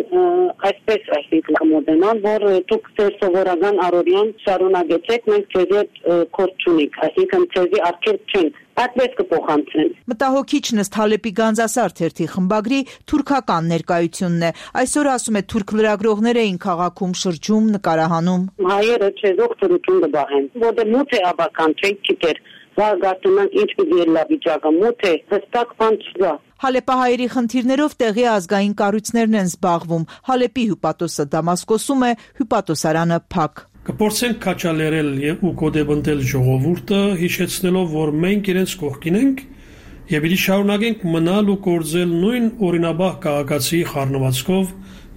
այսպես այսինքն կմոդենան, որ դուք ձեր սովորական առօրյան շարունակեցեք, մենք ձեզ հետ կորդ չունենք, այսինքն ձեզի արգելք չենք, այդպես կփոխանցեն։ Մտահոգիչն ըստ Հալեպի Գանձասար թերթի խմբագրի թուրքական ներկայությունն է։ Այսօր ասում է թուրք լրագրողներ էին քաղաքում շրջում, նկարահանում։ Հայերը չեզոք ծրություն կբահեն, որտեղ մութ է աբական, չենք գիտեր։ Վարգարտունանք ինչ պիտի ելլա վիճակը, մութ է, հստակ բան չկա։ Հալեպահայերի խնդիրներով տեղի ազգային կառույցներն են զբաղվում։ Հալեպի հյուպատոսը Դամասկոսում է, հյուպատոսարանը փակ։ Կփորձենք քաչալերել եւ ու կոդեբնդել ժողովուրդը, հիշեցնելով, որ մենք իրենց կողքին ենք եւ իրի շարունակենք մնալ ու կործել նույն օրինաբահ քաղաքացի խառնվածքով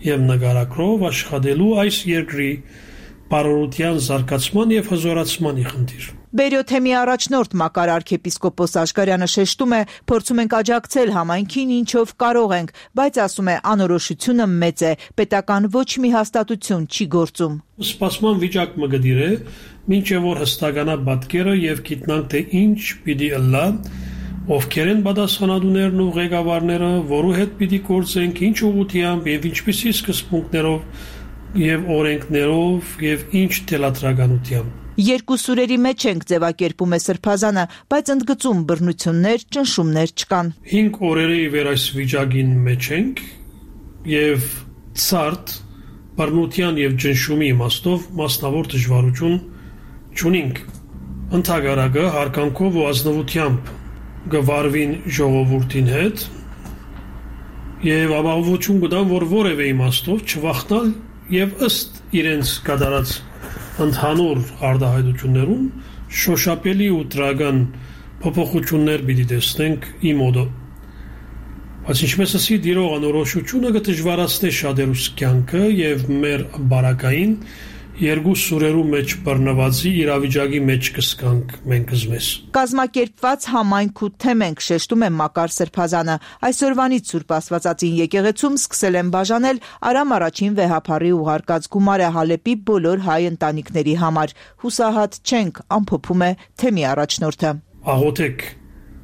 եւ նկարագրով աշխատելու այս երկրի բարօրության զարգացման եւ հզորացմանի խնդիր։ Բերյոթեմի առաջնորդ Մակար arczepiskopos Աշկարյանը շեշտում է, փորձում ենք աջակցել համայնքին ինչով կարող ենք, բայց ասում է անորոշությունը մեծ է, պետական ոչ մի հաստատություն չի գործում։ Սպասման վիճակ մը գդիր է, մինչև որ հստականա պատկերը եւ գիտնանք թե ինչ պիտի ըլլա, ովքեր են պատասխանատուներն ու ղեկավարները, որու հետ պիտի գործենք, ինչ ուղղությամբ եւ ինչպիսի սկզբունքներով եւ օրենքներով եւ ինչ թելադրականությամբ։ Երկու սուրերի մեջ ենք ձևակերպում է Սրբազանը, բայց ընդգծում բռնություններ, ճնշումներ չկան։ Հինգ օրերի վեր այս վիճակին մեջ ենք եւ ցարտ բռնության եւ ճնշումի իմաստով մասնավոր դժվարություն չունենք։ Ընդհանրակը հարկանքով ու ազնվությամբ գվարվին ժողովրդին հետ եւ ապահովություն կտան, որ որևէ իմաստով չվախտալ եւ ըստ իրենց կատարած ընդհանուր արտահայտություններում շոշափելի ու դրական փոփոխություններ պիտի տեսնենք իմ օդը։ Բայց ինչպես ասի դիրող անորոշությունը կդժվարացնի շատերուս կյանքը եւ մեր բարակային երկու սուրերու մեջ բռնվածի իրավիճակի մեջ կսկանք մենք զմես։ Կազմակերպված համայնք ու թեմ ենք, շեշտում է Մակար Սրբազանը։ Այսօրվանից Սուրբ Աստվածածին եկեղեցում սկսել են բաժանել Արամ առաջին վեհափառի ուղարկած գումարը Հալեպի բոլոր հայ ընտանիքների համար։ Հուսահատ չենք, ամփոփում է թեմի առաջնորդը։ Աղոթեք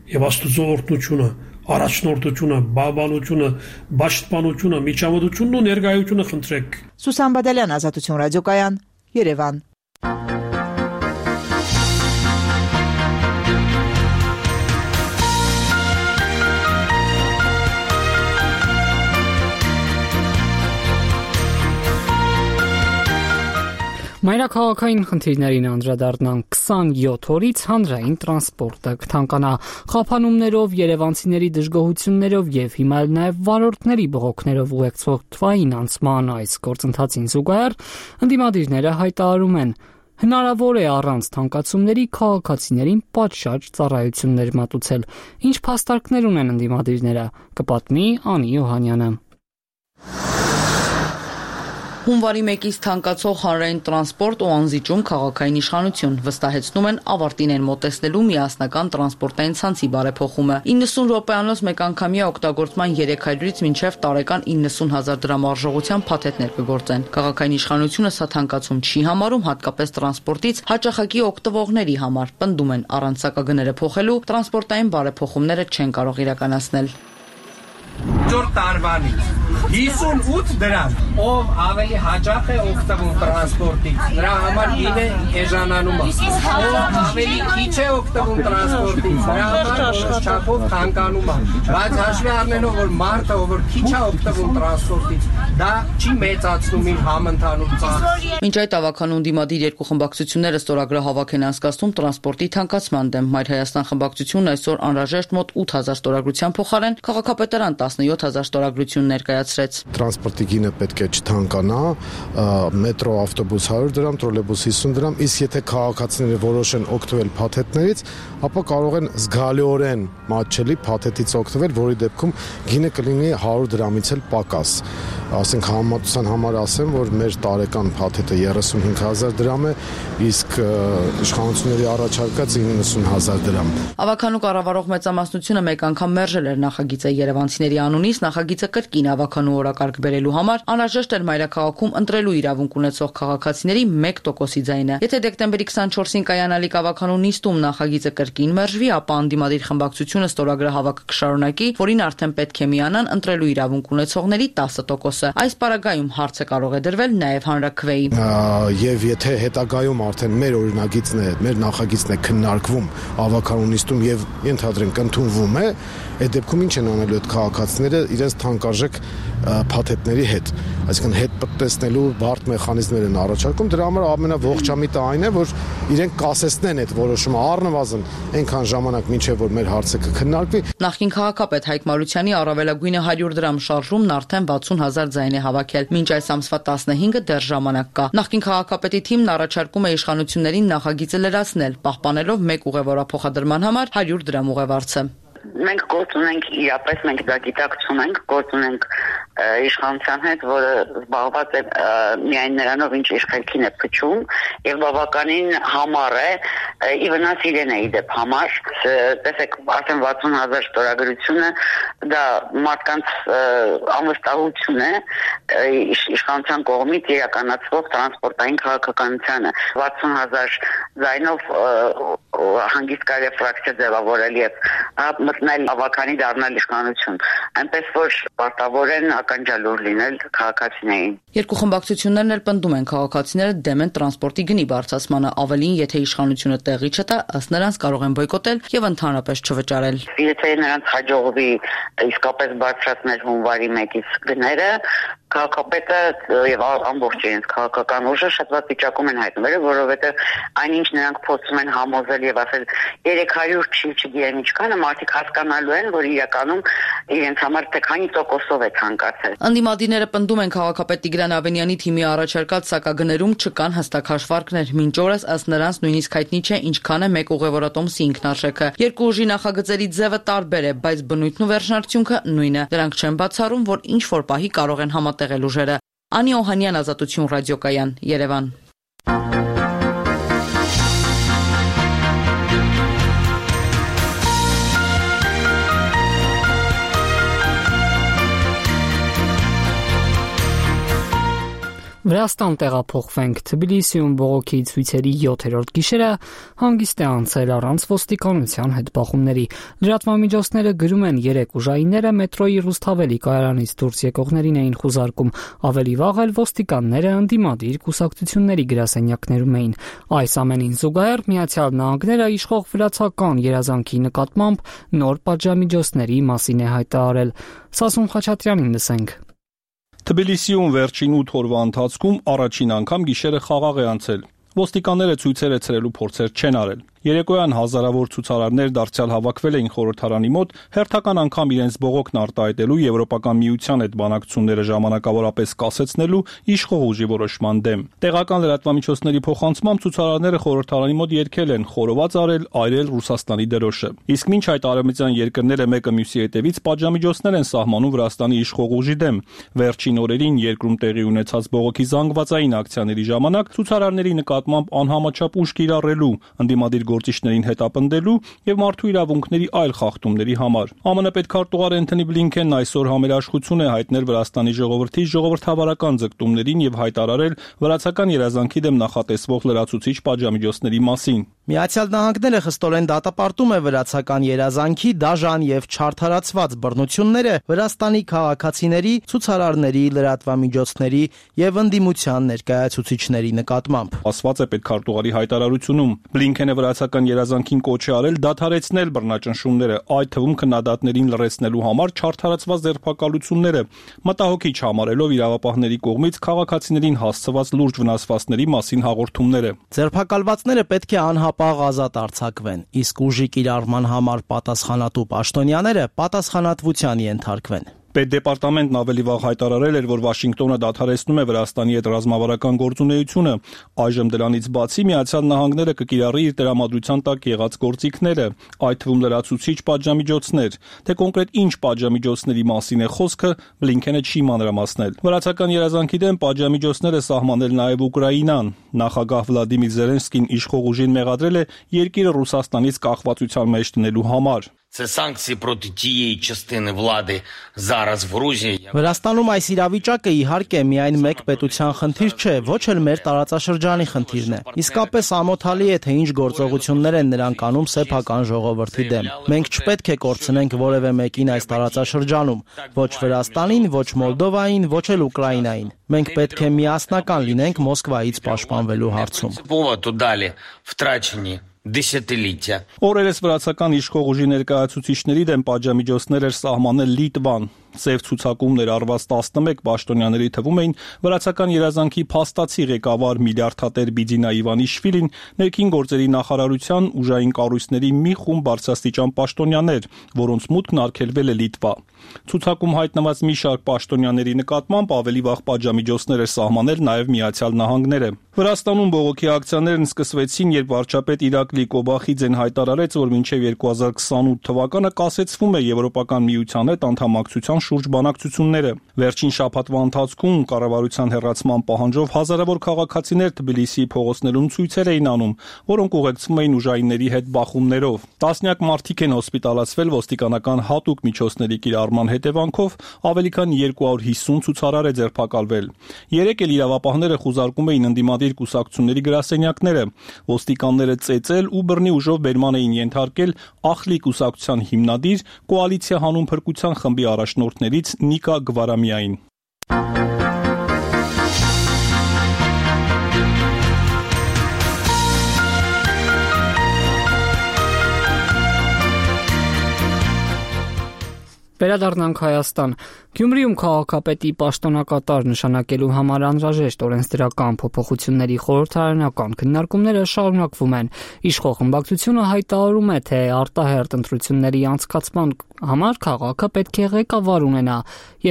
եւ Աստծո օրհնությունը, առաջնորդությունը, բաբանությունը, պաշտպանությունը, միջամտությունն ու ներկայությունը խնդրեք։ Սուսան Բադալյան, Ազատություն ռադիոկայան, Երևան։ Մայրաքաղաքային խնդիրներին անդրադառնան քսանյոթ օրից հանրային տրանսպորտը կթանկանա խափանումներով, երևանցիների դժգոհություններով եւ հիմա էլ նաեւ վարորդների բողոքներով ուղեկցող թվային անցման այս գործընթացին զուգահեռ ընդդիմադիրները հայտարարում են հնարավոր է առանց թանկացումների քաղաքացիներին պատշաճ ծառայություններ մատուցել։ Ինչ փաստարկներ ունեն ընդդիմադիրները, կպատմի Անի Յոհանյանը։ Հունվարի մեկից թանկացող հանրային տրանսպորտ ու անզիջում քաղաքային իշխանություն վստահեցնում են ավարտին են մոտեցնելու միասնական տրանսպորտային ցանցի բարեփոխումը։ իննսուն րոպեանոց մեկանգամյա օգտագործման երեք հարյուրից մինչև տարեկան իննսուն հազար դրամ արժողությամբ փաթեթներ կգործեն։ Քաղաքային իշխանությունը սա թանկացում չի համարում, հատկապես տրանսպորտից հաճախակի օգտվողների համար։ Պնդում են առանց սակագները փոխելու տրանսպորտային բարեփոխումները չեն կարող իրականացնել։ Տարվանից հիսունութ դրամ, ով ավելի հաճախ է օգտվում տրանսպորտից, նրա համար գինը էժանանում է, ով ավելի քիչ է օգտվում տրանսպորտից, նրա համար չափով թանկանում է, բայց հաշվի առնելով, որ մարդը, ով քիչ է օգտվում տրանսպորտից, դա չի մեծացնում իր համընդհանուր ծախսը։ Մինչ այդ ավականուն դիմադիր երկու խմբակցությունները ստորագրը հավաք են անցկացնում տրանսպորտի թանկացման դեմ։ Մայր Հայաստան խմբակցությունն այսօր անհրաժեշտ մոտ ութ հազար ստորագրության փոխարեն քաղաքապետարան տասնյոթ հազար ստորագրություն ներկայացրեց։ Տրանսպորտի գինը պետք է չթանկանա, մետրո, ավտոբուս հարյուր դրամ, տրոլեյբուս հիսուն դրամ, իսկ եթե քաղաքացիները որոշեն օգտվել փաթեթներից, ապա կարող են զգալիորեն մատչելի փաթեթից օգտվել, որի դեպքում գինը կլինի հարյուր դրամից էլ պակաս։ Ասենք համեմատության համար ասեմ, որ մեր տարեկան փաթեթը երեսունհինգ հազար դրամ է, իսկ իշխանությունների առաջարկած իննսուն հազար դրամ։ Ավականու կառավարող մեծամասնությունը մեկ անգամ մերժել էր նախագիծը Երևանցիների անունից, նախագիծը կրկին ավականու օրակարգ բերելու համար անհրաժեշտ էր մայրաքաղաքում ընտրելու իրավունք ունեցող քաղաքացիների մեկ տոկոսի ձայնը։ Եթե դեկտեմբերի քսանչորսին կայանալիք ավականու նիստում նախագիծը կրկին մերժվի, ապա անդիմադիր խմբակցությունը ստորագրը հավաքը կշարունակի, որին արդեն պետք է միանան ընտրելու իրավունք ունեցողների տասը տոկոսը։ դպրոցը։ Այս պարագայում հարցը կարող է դրվել նաև հանրաքվեի։ Եվ եթե հետագայում արդեն մեր օրինագիծն է, մեր նախագիծն է քննարկվում ավականունիստում եւ ենթադրենք ընդունվում է, այդ դեպքում ինչ են անելու այդ քաղաքացիները իրենց թանկարժեք փաթեթների հետ, այսինքն հետ պատտեսնելու բարդ մեխանիզմներ են առաջարկում, դրա համար ամենաողջամիտը այն է, որ իրենք կասեցնեն այդ որոշումը առնվազն այնքան ժամանակ մինչև որ մեր հարցը կքննարկվի։ Նախկին քաղաքապետ Հայկ Մարությանի առավելագույնը հարյուր դրամ շարժումն արդեն վաթսուն հազար ձայն է հավաքել, մինչ այս ամսվա տասնհինգը դեռ ժամանակ կա։ Նախկին քաղաքապետի թիմն առաջարկում է իշխանություններին նախագիծը լրացնել, պահպանելով մեկ ուղևորափոխադրման համար հարյուր դրամ ուղևորցը։ Մենք գործ ունենք իրապես, մենք դա գիտակցում ենք, գործ ունենք իշխանության հետ, որը զբաղված է միայն նրանով, ինչ իր խելքին է փչում, եւ բավականին համառ է, ի վնաս իրեն է իդեպ համառ։ Տեսեք, արդեն վաթսուն հազար ստորագրությունը դա մարդկանց անվստահություն է իշխանության կողմից իրականացվող տրանսպորտային քաղաքականությանը։ վաթսուն հազար ձայնով հանգիստ կարելի է ֆրակցիա ձևավորել եւ մտնել ավականի դառնալ իշխանություն, այնպես որ պարտավոր են ականջալուր լինել քաղաքացիներին։ Երկու խմբակցություններն էլ պնդում են քաղաքացիները դեմ են տրանսպորտի գնի բարձրացմանը, ավելին եթե իշխանությունը տեղի չտա, ըստ նրանց կարող են բոյկոտել եւ ընդհանրապես չվճարել։ Եթե նրանց հաջողվի իսկապես բարձրացնել հունվարի մեկից գները, քաղաքապետը եւ ամբողջ իրենց քաղաքական ուժը շատ վատ վիճակում են հայտնվել, որովհետեւ այնինչ նրանք փորձում են համոզել եւ ասել երեք հարյուր չի, չգիտեմ ինչքանը, մարդիկ հասկանալու են, որ իրականում իրենց համար թե քանի տոկոսով է ցանկացել։ Անդիմադիրները պնդում են քաղաքապետ Տիգրան Ավենյանի թիմի առաջարկած սակագներում չկան հստակ հաշվարկներ, մինչ օրս ըստ նրանց նույնիսկ հայտնի չէ ինչքան է մեկ ուղևորատոմսի ինքնարժեքը։ Երկու ուժի նախագծերի ձևը տարբեր է, բայց բնույթն ու վերջնարդյունքը նույնը։ Դրանք չեն բացառում, որ ինչ որ պահի կարող են համատեղել ուժերը։ Անի Օհանյան, Ազատություն ռադիոկայան, Երևան։ Վրաստան տեղափոխվենք։ Թբիլիսիում բողոքի ցույցերի յոթերորդ գիշերը հանգիստ է անցել առանց ոստիկանության հետ բախումների։ Լրատվամիջոցները գրում են երեք ուժայինները մետրոյի Ռուսթավելի կայարանից դուրս եկողներին էին խուզարկում։ Ավելի վաղ էլ ոստիկանները ընդդիմադիր կուսակցությունների գրասենյակներում էին։ Այս ամենին զուգահեռ Միացյալ Նահանգները իշխող վրացական երազանքի նկատմամբ նոր պատժամիջոցների մասին է հայտարարել։ Սասուն Խաչատրյանին լսենք։ Թբիլիսիում վերջին ութ օրվա ընթացքում առաջին անգամ գիշերը խաղաղ է անցել։ Ոստիկանները ցույցերը ցրելու փորձեր չեն արել։ Երեկոյան հազարավոր ցուցարարներ դարձյալ հավաքվել էին խորհրդարանի մոտ, հերթական անգամ իրենց բողոքն արտահայտելու Եվրոպական միության հետ բանակցությունները ժամանակավորապես կասեցնելու իշխող ուժի որոշման դեմ։ Տեղական լրատվամիջոցների փոխանցմամբ ցուցարարները խորհրդարանի մոտ երգել են, խորոված արել, այրել Ռուսաստանի դրոշը։ Իսկ մինչ այդ արևմտյան երկրները մեկը մյուսի հետևից պատժամիջոցներ են սահմանում Վրաստանի իշխող ուժի դեմ։ Վերջին օրերին երկրում տեղի ունեցած բողոքի զանգվածային ակցիաների ժամանակ ցուցարարների նկատմամբ անհամաչափ ուժ կիրառելու, ընդդիմադիր գործիչներին հետապնդելու եւ մարդու իրավունքների այլ խախտումների համար։ ԱՄՆ պետքարտուղար Էնթոնի Բլինքենն այսօր համերաշխություն է հայտնել Վրաստանի ժողովրդի ժողովրդավարական ձգտումներին եւ հայտարարել վրացական երազանքի դեմ նախատեսվող լրացուցիչ պատժամիջոցների մասին։ Միացյալ Նահանգները խստորեն դատապարտում է վրացական երազանքի դաժան եւ չարդարացված բռնությունները Վրաստանի քաղաքացիների, ցուցարարների, լրատվամիջոցների եւ ընդդիմության ներկայացուցիչների նկատմամբ։ Ասված է պետքարտուղարի հայտարարությունում։ Բլինքենը վրացական երազանքին կոչ է արել դադարեցնել բռնաճնշումները, այդ թվում քննադատներին լրացնելու համար չարդարացված ձերբակալությունները, մտահոգիչ համարելով իրավապահների կողմից քաղաքացիներին հասցված լուրջ վնասվածքների մասին հաղորդումները։ Ձերբակալվածները պետք է անհապաղ ազատ արձակվեն, իսկ ուժի կիրառման համար պատասխանատու պաշտոնյաները պատասխանատվության ենթարկվեն։ Պետդեպարտամենտն ավելի վաղ հայտարարել էր, որ Վաշինգտոնը դադարեցնում է Վրաստանի հետ ռազմավարական գործունեությունը։ Այժմ դրանից բացի Միացյալ Նահանգները կկիրառի իր տրամադրության տակ եղած գործիքները, այդ թվում լրացուցիչ պատժամիջոցներ։ Թե կոնկրետ ինչ պատժամիջոցների մասին է խոսքը, Բլինքենը չի մանրամասնել։ Վրացական երազանքի դեմ պատժամիջոցները սահմանել նաև Ուկրաինան։ Նախագահ Վլադիմիր Զելենսկին իշխող ուժին մեղադրել է երկիրը Ռուսաստանից կախվածության մեջ դնելու համար։ Це санкції проти тієї частини влади зараз в Грузії. Վրաստանում այս իրավիճակը իհարկե միայն մեկ պետության խնդիր չէ, ոչ էլ մեր տարածաշրջանի խնդիրն է։ Իսկապես ամոթալի է, թե ինչ գործողություններ են նրանք անում սեփական ժողովրդի դեմ։ Մենք չպետք է կորցնենք որևէ մեկին այս տարածաշրջանում, ոչ Վրաստանին, ոչ Մոլդովային, ոչ էլ Ուկրաինային։ Մենք պետք է միասնական լինենք Մոսկվայից պաշտպանվելու հարցում։ Поводу далі втрачені դեսյատիլիթիա։ Օրերս վրացական իշխող ուժի ներկայացուցիչների դեմ պատժամիջոցներ էր սահմանել Լիտվան։ Սև ցուցակումներ արված տասնմեկ պաշտոնյաների թվում էին վրացական երազանքի փաստացի ղեկավար միլիարդատեր Բիձինա Իվանիշվիլին, ներքին գործերի նախարարության ուժային կառույցների մի խումբ բարձրաստիճան պաշտոնյաներ, որոնց մուտքն արգելվել է Լիտվա։ Ցուցակում հայտնված մի շարք պաշտոնյաների նկատմամբ ավելի վաղ պատժամիջոցներ էր սահմանել նաև Միացյալ Նահանգները։ Վրաստանում բողոքի ակցիաներն սկսվեցին, երբ վարչապետ Իրակլի Կոբախիձեն հայտարարեց, որ մինչև երկու հազար քսանութ թվականը կասեցվում է Եվրոպական միության հետ անդամակցության շուրջ բանակցությունները։ Վերջին շաբաթվա ընթացքում կառավարության հեռացման պահանջով հազարավոր քաղաքացիներ Թբիլիսիի փողոցներում ցույցեր էին անում, որոնք ուղեկցվում էին ուժայինների հետ բախումներով։ Տասնյակ մարդիկ են հոսպիտալացվել ոստիկանական հատուկ միջոցների կիրառման հետևանքով, ավելի քան երկու հարյուր հիսուն ցուցարար է ձերբակալվել։ Երեկ էլ իրավապահները խուզարկում էին ընդդիմադիր կուսակցությունների գրասենյակները։ Ոստիկանները ծեծել ու բռնի ուժով բերման էին ենթարկել Ախլի կուսակցության հիմնադիր կոալիցիա հանուն փրկության խմբի առաջնորդներից Նիկա Գվարամիային։ Վերադառնանք Հայաստան։ Գյումրիում քաղաքապետի պաշտոնակատար նշանակելու համար անհրաժեշտ օրենսդրական փոփոխությունների խորհրդարանական քննարկումները շարունակվում են։ Իշխող խմբակցությունը հայտարարում է, թե արտահերթ ընտրությունների անցկացման համար քաղաքը պետք է ղեկավար ունենա,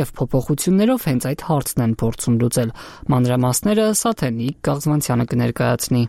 եւ փոփոխություններով հենց այդ հարցն են փորձում լուծել։ Մանրամասները Սաթենիկ Գաղզմանցյանը կներկայացնի։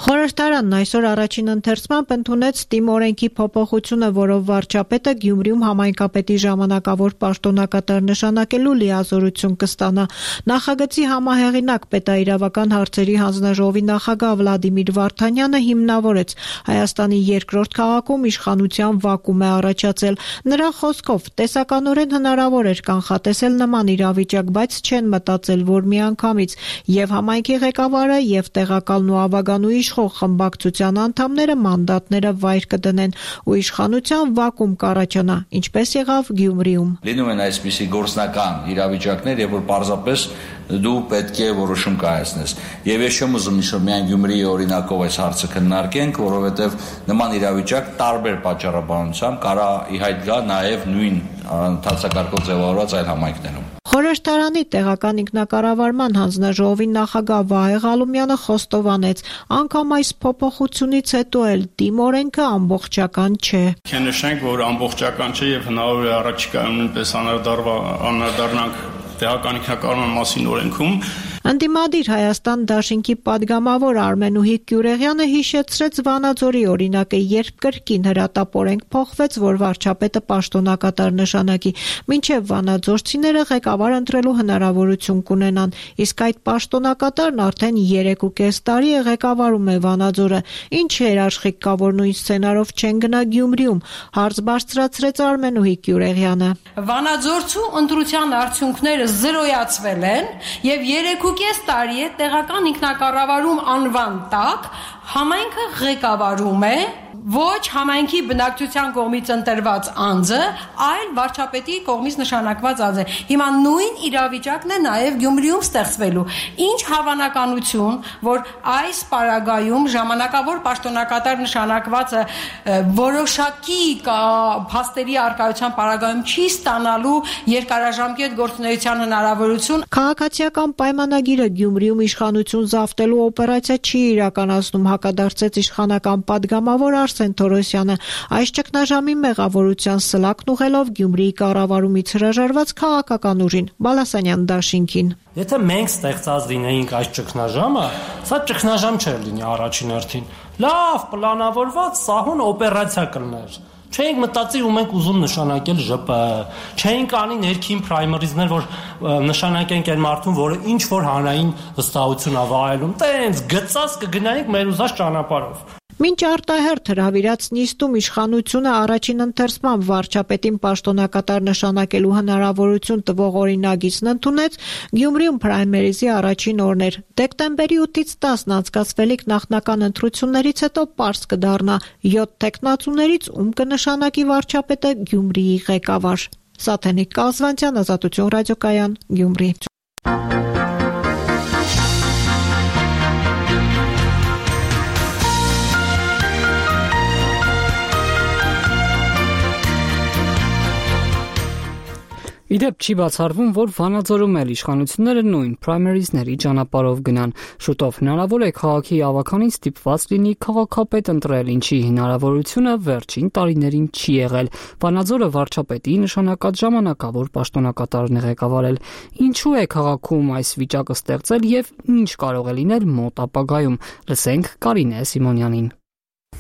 Խորհրդարանն այսօր առաջին ընթերցմամբ ընդունեց ՏԻՄ օրենքի փոփոխությունը, որով վարչապետը Գյումրիում համայնքապետի ժամանակավոր պաշտոնակատար նշանակելու լիազորություն կստանա։ Նախագծի համահեղինակ պետաիրավական հարցերի հանձնաժողովի նախագահ Վլադիմիր Վարդանյանը հիմնավորեց Հայաստանի երկրորդ քաղաքում իշխանության վակուում է առաջացել։ Նրա խոսքով տեսականորեն հնարավոր էր կանխատեսել նման իրավիճակ, բայց չեն մտածել, որ միանգամից եւ համայնքի ղեկավարը եւ տեղակալն ու ավագանուի իշխող խմբակցության անդամները մանդատները վայր կդնեն ու իշխանության վակուում կառաջանա, ինչպես եղավ Գյումրիում։ Լինում են այսպիսի գործնական իրավիճակներ, երբ որ պարզապես դու պետք է որոշում կայացնես։ Եվ ես չեմ ուզում ինչ-որ միայն Գյումրիի օրինակով այս հարցը քննարկենք, որովհետև նման իրավիճակ տարբեր պատճառաբանությամբ կարա ի հայտ գա նաև նույն ընթացակարգով ձևավորված այլ համայնքներում։ Խորհրդարանի տեղական ինքնակառավարման հանձնաժողովի նախագահ Վահե Ղալումյանը խոստովանեց, անգամ այս փոփոխությունից հետո էլ ՏԻՄ օրենքը ամբողջական չէ։ Քննենք, որ ամբողջական չէ եւ հնարավոր է առաջիկայում նույնպես անդրադառնանք տեղական ինքնակառավարման մասին օրենքում։ Ընդդիմադիր Հայաստան դաշինքի падգամավոր Արմենուհի Կյուրեղյանը հիշեցրեց Վանաձորի օրինակը, երբ կրկին հրատապորենք փոխվեց, որ վարչապետը պաշտոնակատար նշանակի, մինչև վանաձորցիները ղեկավար ընտրելու հնարավորություն կունենան, իսկ այդ պաշտոնակատարն արդեն երեք ու կես տարի է ղեկավարում է Վանաձորը։ Ինչ երաշխիք կա, որ նույն սցենարով չեն գնա Գյումրիում, հարց բարձրացրեց Արմենուհի Կյուրեղյանը։ Վանաձորցու ընտրության արդյունքները զրոյացվել են եւ երեք կես տարի է տեղական ինքնակառավարում անվան տակ համայնքը ղեկավարում է ոչ համայնքի բնակչության կողմից ընտրված անձը, այլ վարչապետի կողմից նշանակված անձը։ Հիմա նույն իրավիճակն է նաև Գյումրիում ստեղծվելու։ Ինչ հավանականություն, որ այս պարագայում ժամանակավոր պաշտոնակատար նշանակվածը որոշակի փաստերի արկայության պարագայում չի ստանալու երկարաժամկետ գործունեության հնարավորություն։ Քաղաքացիական պայմանագիրը Գյումրիում իշխանություն զավթելու օպերացիա չի իրականացնում, հակադարձեց իշխանական падգամավոր Արսեն Թորոսյանը։ Այս ճգնաժամի մեղավորության սլակն ուղղելով Գյումրիի կառավարումից հրաժարված քաղաքական ուժին Բալասանյան դաշինքին։ Եթե մենք ստեղծած լինեինք այս ճգնաժամը, սա ճգնաժամ չէր լինի առաջին հերթին։ Լավ պլանավորված սահուն օպերացիա կլներ։ Չէինք մտածի ու մենք ուզում նշանակել ԺՊ, չէինք անի ներքին պրայմերիզներ, որ նշանակենք այն մարդուն, որը ինչ որ հանրային վստահություն ա վայելում, տենց գծած կգնայինք մեր ուզած ճանապարհով։ Մինչ արտահերթ հրավիրած նիստում իշխանությունը առաջին ընթերցման վարչապետին պաշտոնակատար նշանակելու հնարավորություն տվող օրինագիծն ընդունեց, Գյումրիում պրայմերիզի առաջին օրն էր։ Դեկտեմբերի ութից տասն անցկացվելիք նախնական ընտրություններից հետո պարզ կդառնա յոթ տեխնացուներից ում կնշանակի վարչապետը Գյումրիի ղեկավար։ Սաթենիկ Կազվանցյան, Ազատություն ռադիոկայան, Գյումրի։ Իդեպ չի բացառվում, որ Վանաձորում էլ իշխանությունները նույն պրայմերիզների ճանապարհով գնան։ Շուտով հնարավոր է քաղաքի ավականին ստիպված լինի քաղաքապետ ընտրել, ինչի հնարավորությունը վերջին տարիներին չի եղել։ Վանաձորը վարչապետի նշանակած ժամանակավոր պաշտոնակատարն է ղեկավարել։ Ինչու է քաղաքում այս վիճակը ստեղծել եւ ինչ կարող է լինել մոտ ապագայում։ Լսենք Կարինե Սիմոնյանին։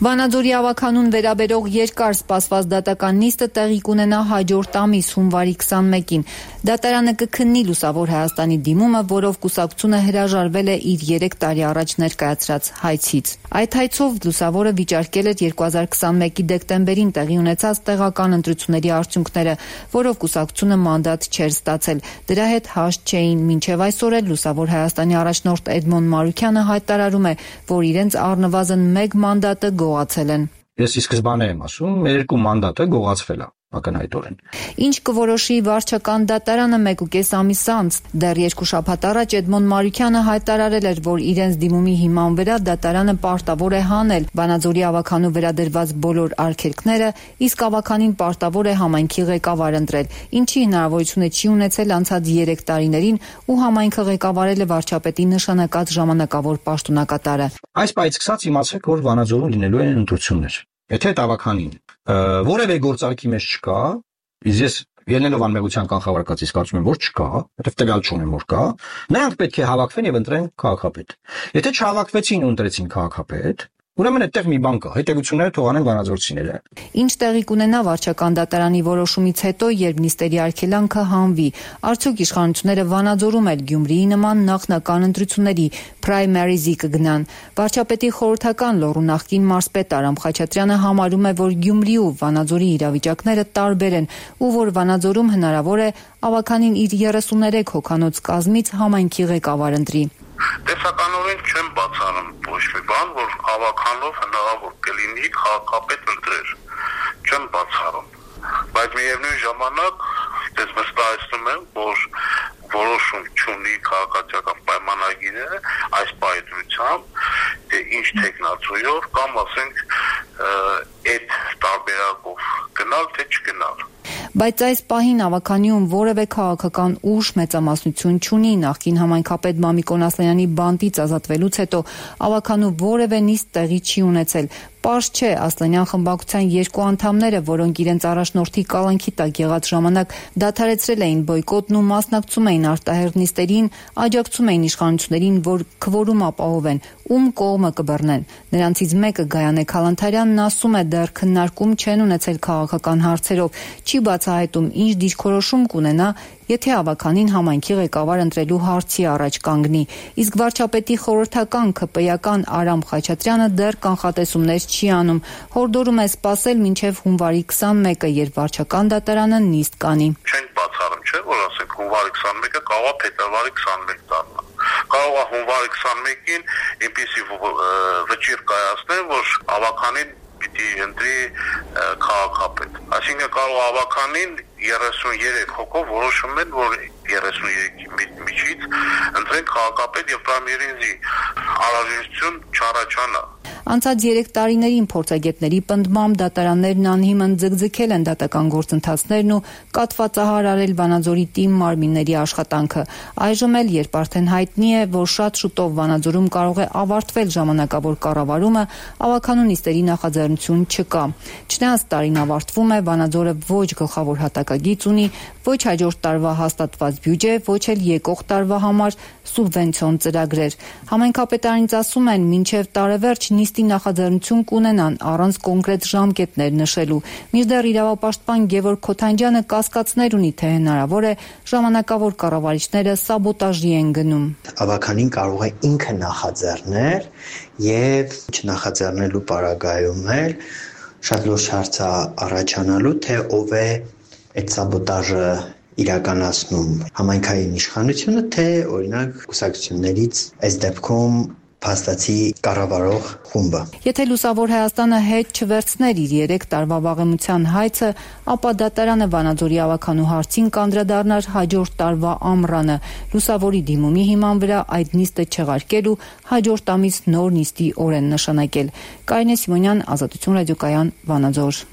Վանաձորի ավականուն վերաբերող երկար սպասված դատական նիստը տեղի կունենա հաջորդ ամիս հունվարի քսանմեկին։ Դատարանը կքննի Լուսավոր Հայաստանի դիմումը, որով կուսակցությունը հրաժարվել է իր երեք տարի առաջ ներկայացրած հայցից։ Այդ հայցով Լուսավորը վիճարկել էր երկու հազար քսանմեկի դեկտեմբերին տեղի ունեցած տեղական ընտրությունների արդյունքները, որով կուսակցությունը մանդատ չէր ստացել։ Դրա հետ հաշտ չէին մինչև այսօր էլ Լուսավոր Հայաստանի առաջնորդ Էդմոն Մարուքյանը հայտարարում է, որ իրենց առնվազն մեկ մանդատը գողացել են։ Ես ի սկզբանե եմ ասում, մեր երկու մանդատը գողացվել է ակնհայտորեն։ Ինչ կորոշի վարչական դատարանը մեկ ու կես ամիս անց։ Դեռ երկու շաբաթ առաջ Էդմոն Մարուքյանը հայտարարել էր, որ իրենց դիմումի հիման վրա դատարանը պարտավոր է հանել Վանաձորի ավականու վերադրված բոլոր արգելքները, իսկ ավականին պարտավոր է համայնքի ղեկավար ընտրել, ինչի հնարավորությունը չի ունեցել անցած երեք տարիներին ու համայնքը ղեկավարել է վարչապետի նշանակած ժամանակավոր պաշտոնակատարը։ Այս պայից սկսած իմացեք, որ Վանաձորում լինելու են ընտրություններ։ Եթե տավականին որևէ գործարքի մեջ չկա, իսկ ես ելնելով անմեղության կանխավարկածից կարծում եմ, որ չկա, որովհետև տվյալ չունեմ, որ կա, նրանք պետք է հավաքվեն եւ ընտրեն քաղաքապետ։ Եթե չհավաքվեցին ու ընտրեցին քաղաքապետ, ուրեմն այդտեղ մի բան կա, հետևությունները թողանեն վանաձորցիները։ Ինչ տեղի կունենա վարչական դատարանի որոշումից հետո, երբ նիստերի արգելանքը հանվի, արդյոք իշխանությունները Վանաձորում էլ Գյումրիի նման նախնական ընտրությունների պրայմերիզի կգնան։ Վարչապետի խորհրդական լոռու նախկին մարզպետ Արամ Խաչատրյանը համարում է, որ Գյումրի ու Վանաձորի իրավիճակները տարբեր են ու որ Վանաձորում հնարավոր է ավականին իր երեսուներեք հոգանոց կազմից համայնքի ղեկավար ընտրի։ Տեսականորեն չեմ բացառում ոչ մի բան, որ ավականով հնարավոր կլինի քաղաքապետ ընտրել։ Չեմ բացառում, բայց միևնույն ժամանակ ես վստահեցնում եմ, որ որոշում չունի քաղաքացիական պայմանագիրը այս պայմանությամբ, թե ինչ տեխնացույով կամ ասենք այդ տարբերակով գնալ թե չգնալ։ Բայց այս պահին ավականիում որևէ քաղաքական ուժ մեծամասնություն չունի նախկին համայնքապետ Մամիկոն Ասլանյանի բանտից ազատվելուց հետո ավականու որևէ նիստ տեղի չի ունեցել։ Պարզ չէ Ասլանյան խմբակցության երկու անդամները, որոնք իրենց առաջնորդի կալանքի տակ եղած ժամանակ դադարեցրել էին բոյկոտն ու մասնակցում էին արտահերթ նիստերին, աջակցում էին իշխանություններին, որ քվորում ապահովեն, ում կողմը կբռնեն։ Նրանցից մեկը Գայանե Քալանթարյանն ասում է, դեռ քննարկում չեն ունեցել քաղաքական հարցերով, չի բացահայտում ինչ դիրքորոշում կունենա, եթե ավականին համայնքի ղեկավար ընտրելու հարցի առաջ կանգնի։ Իսկ վարչապետի խորհրդական ՔՊ-ական Արամ Խաչատրյանը դեռ կանխատեսումներ չի անում, հորդորում է սպասել մինչև հունվարի քսանմեկը, երբ վարչական դատարանը նիստ կանի։ Չենք բացառում, չէ՞, որ ասենք հունվարի քսանմեկը կարող է փետրվարի քսանմեկ դառնա։ Կարող է հունվարի քսանմեկին այնպիսի վճիռ կայացնել, որ ավականին պիտի ընտրի քաղաքապետ։ Այսինքն կարող ավականին երեսուներեք հոգով որոշում են, որ երեսուներեքի միջից ընտրեն քաղաքապետ եւ պրայմերիզի անհրաժեշտություն չառաջանա։ Անցած երեք տարիներին փորձագետների պնդմամբ դատարաններն անհիմն ձգձգել են դատական գործընթացներն ու կատվածահար արել Վանաձորի տիմ մարմինների աշխատանքը։ Այժմ էլ, երբ արդեն հայտնի է, որ շատ շուտով Վանաձորում կարող է ավարտվել ժամանակավոր կառավարումը, ավականու նիստերի նախաձեռնություն չկա։ Չնայած տարին ավարտվում է, Վանաձորը ոչ գլխավոր հատակագիծ ունի, ոչ հաջորդ տարվա հաստատված բյուջե, ոչ էլ եկող տարվա համար սուբվենցիոն ծրագրեր։ Համայնքապետարանից ասում են, մինչև տարեվերջ նիստի նախաձեռնություն կունենան առանց կոնկրետ ժամկետներ նշելու։ Մինչդեռ իրավապաշտպան Գևորգ Քոթանջյանը կասկածներ ունի, թե հնարավոր է ժամանակավոր կառավարիչները սաբոտաժի են գնում։ Ավականին կարող է ինքը նախաձեռնել եւ չնախաձեռնելու պարագայում էլ շատ լուրջ հարց է առաջանալու, թե ով է այդ սաբոտաժը իրականացնում, համայնքային իշխանությունը, թե օրինակ կուսակցություններից այս դեպքում փաստացի կառավարող խումբը։ Եթե Լուսավոր Հայաստանը հետ չվերցներ իր երեք տարվա վաղեմության հայցը, ապա դատարանը Վանաձորի ավականու հարցին կանդրադառնար հաջորդ տարվա ամռանը։ Լուսավորի դիմումի հիման վրա այդ նիստը չեղարկել ու հաջորդ ամիս նոր նիստի օրեն նշանակել։ Կարինե Սիմոնյան, Ազատություն ռադիոկայան, Վանաձոր։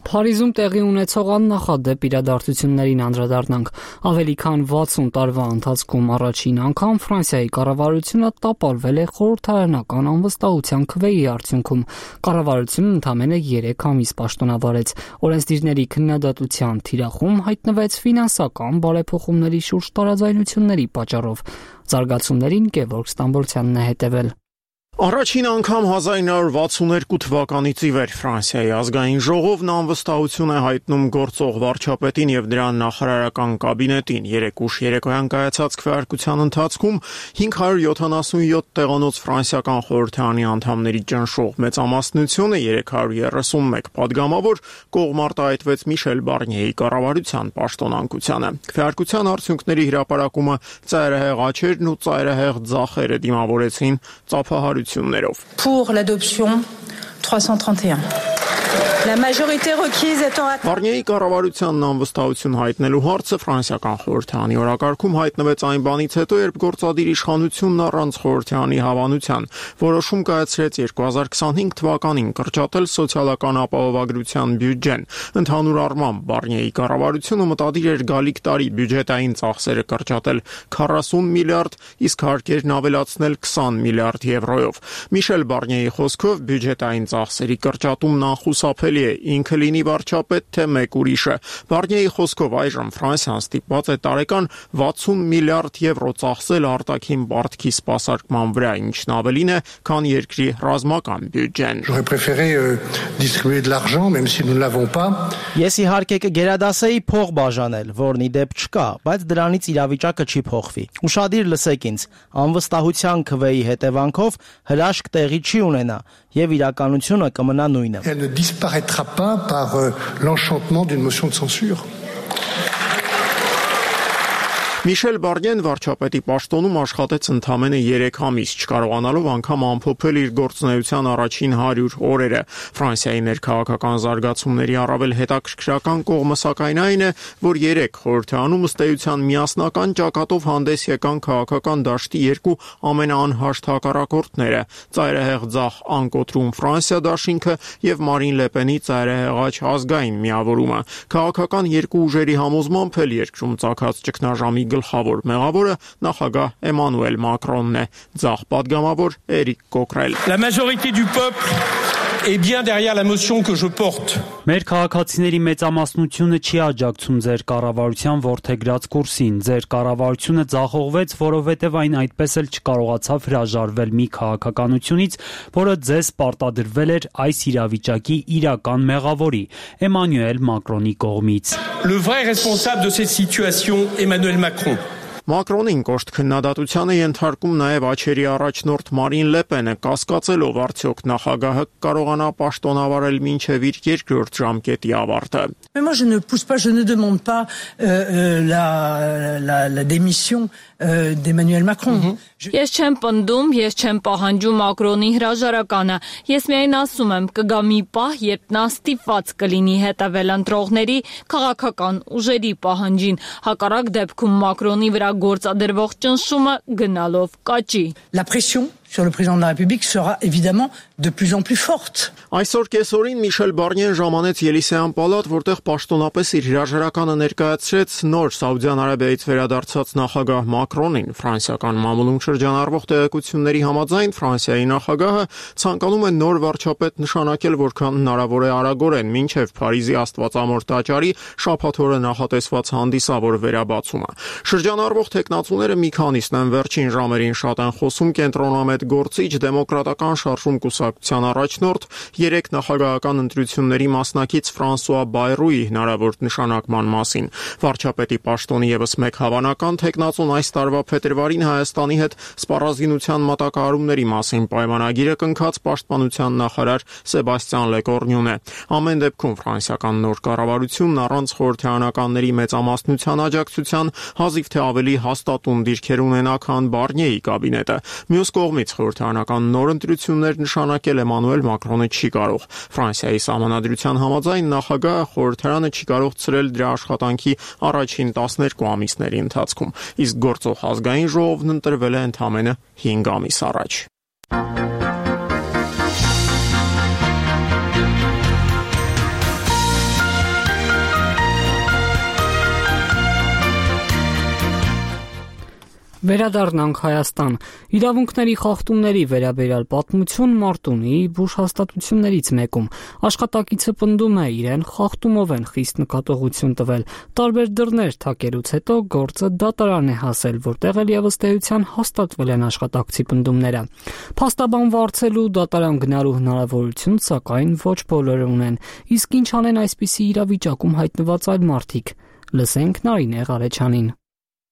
Փարիզում տեղի ունեցող աննախադեպ իրադարձություններին անդրադառնանք։ Ավելի քան վաթսուն տարվա ընթացքում առաջին անգամ Ֆրանսիայի կառավարությունը տապալվել է խորհրդարանական անվստահության քվեի արդյունքում։ Կառավարությունն ընդամենը երեք ամիս պաշտոնավարեց։ Օրենսդիրների քննադատության թիրախում հայտնվեց ֆինանսական բարեփոխումների շուրջ տարաձայնությունների պատճառով։ Զարգացումներին Գևորգ Ստամբոլցյանն է հետևել։ Առաջին անգամ հազար իննսուն վաթսունհինգ թվականից ի վեր Ֆրանսիայի ազգային ժողովն անվստահություն է հայտնում գործող վարչապետին եւ դրա նախարարական կաբինետին։ Երեք ուշ երեկոյան կայացած քվեարկության ընթացքում հինգ հարյուր յոթանասունյոթ տեղանոց ֆրանսիական խորհրդարանի անդամների ճնշող մեծամասնությունը երեք հարյուր երեսունմեկ падգամավոր կողմ արտահայտվեց Միշել Բարնիեի կառավարության պաշտոնանկությանը։ Քվեարկության արդյունքների հրապարակումը ծայրահեղ աչերն ու ծայրահեղ ձախերը դիմավորեցին ծափահարություններով։ Pour l'adoption trois cent trente et un. La majorité requise étant atteinte. Բարնիեի կառավարությանն անվստահություն հայտնելու հարցը ֆրանսիական խորհրդարանի օրակարգում հայտնվեց այն բանից հետո, երբ գործադիր իշխանությունն առանց խորհրդարանի հավանության որոշում կայացրեց երկու հազար քսանհինգ թվականին կրճատել սոցիալական ապահովագրության բյուջեն։ Ընդհանուր առմամբ Բարնիեի կառավարությունը մտադիր էր գալիք տարի բյուջետային ծախսերը կրճատել քառասուն միլիարդ, իսկ հարկերն ավելացնել քսան միլիարդ եվրոյով։ Միշել Բարնիեի խոսքով բյուջետային ծախսերի կրճատումն անխուսափելի է, ինքը լինի վարչապետ, թե մեկ ուրիշը։ Բարնիեի խոսքով այժմ Ֆրանսիան ստիպված է տարեկան վաթսուն միլիարդ եվրո ծախսել արտաքին պարտքի սպասարկման վրա, ինչն ավելին է, քան երկրի ռազմական բյուջեն։ J'aurais préféré euh, distribuer de l'argent, même si nous ne l'avons pas. Ես իհարկե կգերադասեի փող բաժանել, որն ի դեպ չկա, բայց դրանից իրավիճակը չի փոխվի։ Ուշադիր լսեք ինձ, անվստահության քվեի հետևանքով հրաշք տեղի չի ունենա եւ իրականությունը կմնա նույնը։ Elle ne disparaîtra pas par euh, l'enchantement d'une motion de censure. Միշել Բարնիեն վարչապետի պաշտոնում աշխատեց ընդամենը երեք ամիս, չկարողանալով անգամ ամփոփել իր գործունեության առաջին հարյուր օրերը։ Ֆրանսիայի ներքաղաքական զարգացումների առավել հետաքրքրական կողմը սակայն այն է, որ երեք խորհրդարանում ըստ էության միասնական ճակատով հանդես եկան քաղաքական դաշտի երկու ամենաանհաշտ հակառակորդները՝ ծայրահեղ ձախ անկոտրում Ֆրանսիա դաշինքը եւ Մարին Լեպենի ծայրահեղաչ ազգային միավորումը։ Քաղաքական երկու ուժերի համոզմամբ էլ երկրում ծագած ճգնաժամի գլխավոր մեղավորը նախագահ Էմանուել Մակրոնն է, ձախ падգամավոր Էրիկ Կոկրել։ La majorité du peuple est bien derrière la motion que je porte. Մեր քաղաքացիների մեծամասնությունը չի աջակցում ձեր կառավարության ворթեգրած կուրսին։ Ձեր կառավարությունը ձախողվեց, որովհետև այն այդպես էլ չկարողացավ հրաժարվել մի քաղաքականությունից, որը ձեզ պարտադրվել էր այս իրավիճակի իրական մեղավորի՝ Էմանուել Մակրոնի կողմից։ Le vrai responsable de cette situation, Emmanuel Macron. Մակրոնին կոշտ քննադատության է ենթարկում նաև աչերի առաջնորդ Մարին Լեպենը, կասկածելով արդյոք նախագահը կարողանա պաշտոնավարել մինչև իր երկրորդ ժամկետի ավարտը։ Mais moi je ne pousse pas, je ne demande pas euh, euh, la, la, la démission euh, d'Emmanuel Macron. Mm-hmm. Ես չեմ պնդում, ես չեմ պահանջում Մակրոնի հրաժարականը։ Ես միայն ասում եմ, կգա մի պահ, երբ նա ստիպված կլինի հետևել ընտրողների քաղաքական ուժերի պահանջին։ Հակառակ դեպքում Մակրոնի վրա գործադրվող ճնշումը գնալով կաճի։ La pression sur le président de la République sera évidemment de plus en plus forte. Այսօր կեսօրին Միշել Բարնիեն ժամանեց Ելիսեյան պալատ, որտեղ պաշտոնապես իր հրաժարականը ներկայացրեց նոր Սաուդյան Արաբիայից վերադարձած նախագահ Մակրոնին։ Ֆրանսիական մամուլում շրջանառվող տեղեկությունների համաձայն Ֆրանսիայի նախագահը ցանկանում է նոր վարչապետ նշանակել որքան հնարավոր է արագորեն, մինչև Փարիզի Աստվածամոր տաճարի շաբաթ օրը նախատեսված հանդիսավոր վերաբացումը։ Շրջանառվող տեխնացուները մի քանիսն են վերջին ժամերին շատ են խոսում կենտրոնամետ գործիչ դեմոկրատական շարժում կուսակցության առաջնորդ երեք նախագահական ընտրությունների մասնակից Ֆրանսուଆ Բայրուի հնարավոր նշանակման մասին։ Վարչապետի պաշտոնի ևս մեկ հավանական տեխնացուն այս տարվա փետրվարին Հայաստանի հետ սպառազինության մատակարարումների մասին պայմանագիրը կնքած պաշտպանության նախարար Սեբաստիան Լեկորնյուն է։ Ամեն դեպքում ֆրանսիական նոր կառավարությունն առանց խորհրդարանականների մեծամասնության աջակցության հազիվ թե ավելի հաստատուն դիրքեր ունենա, քան Բարնիեի կաբինետը։ Մյուս կողմից խորհրդարանական նոր ընտրություններ նշանակել Էմանուել Մակրոնը չի կարող։ Ֆրանսիայի սահմանադրության համաձայն նախագահը խորհրդարանը չի կարող ցրել դրա աշխատանքի առաջին տասներկու ամիսների ընթացքում, իսկ գործող ազգային ժողովն ընտրվել է ընդամենը հինգ ամիս առաջ։ Վերադառնանք Հայաստան։ Իրավունքների խախտումների վերաբերյալ պատմություն Մարտունի բուժ հաստատություններից մեկում աշխատակիցը պնդում է իրեն խախտումով են խիստ նկատողություն տվել։ Տարբեր դռներ թակելուց հետո գործը դատարան է հասել, որտեղ էլ եւս տեղության հաստատվել են աշխատակցի պնդումները։ Փաստաբան վարձելու դատարան գնալու հնարավորություն, սակայն ոչ բոլորը ունեն։ Իսկ ինչ անեն այսպիսի իրավիճակում հայտնված այլ մարդիկ։ Լսենք Նարինե Ղարեչյանին։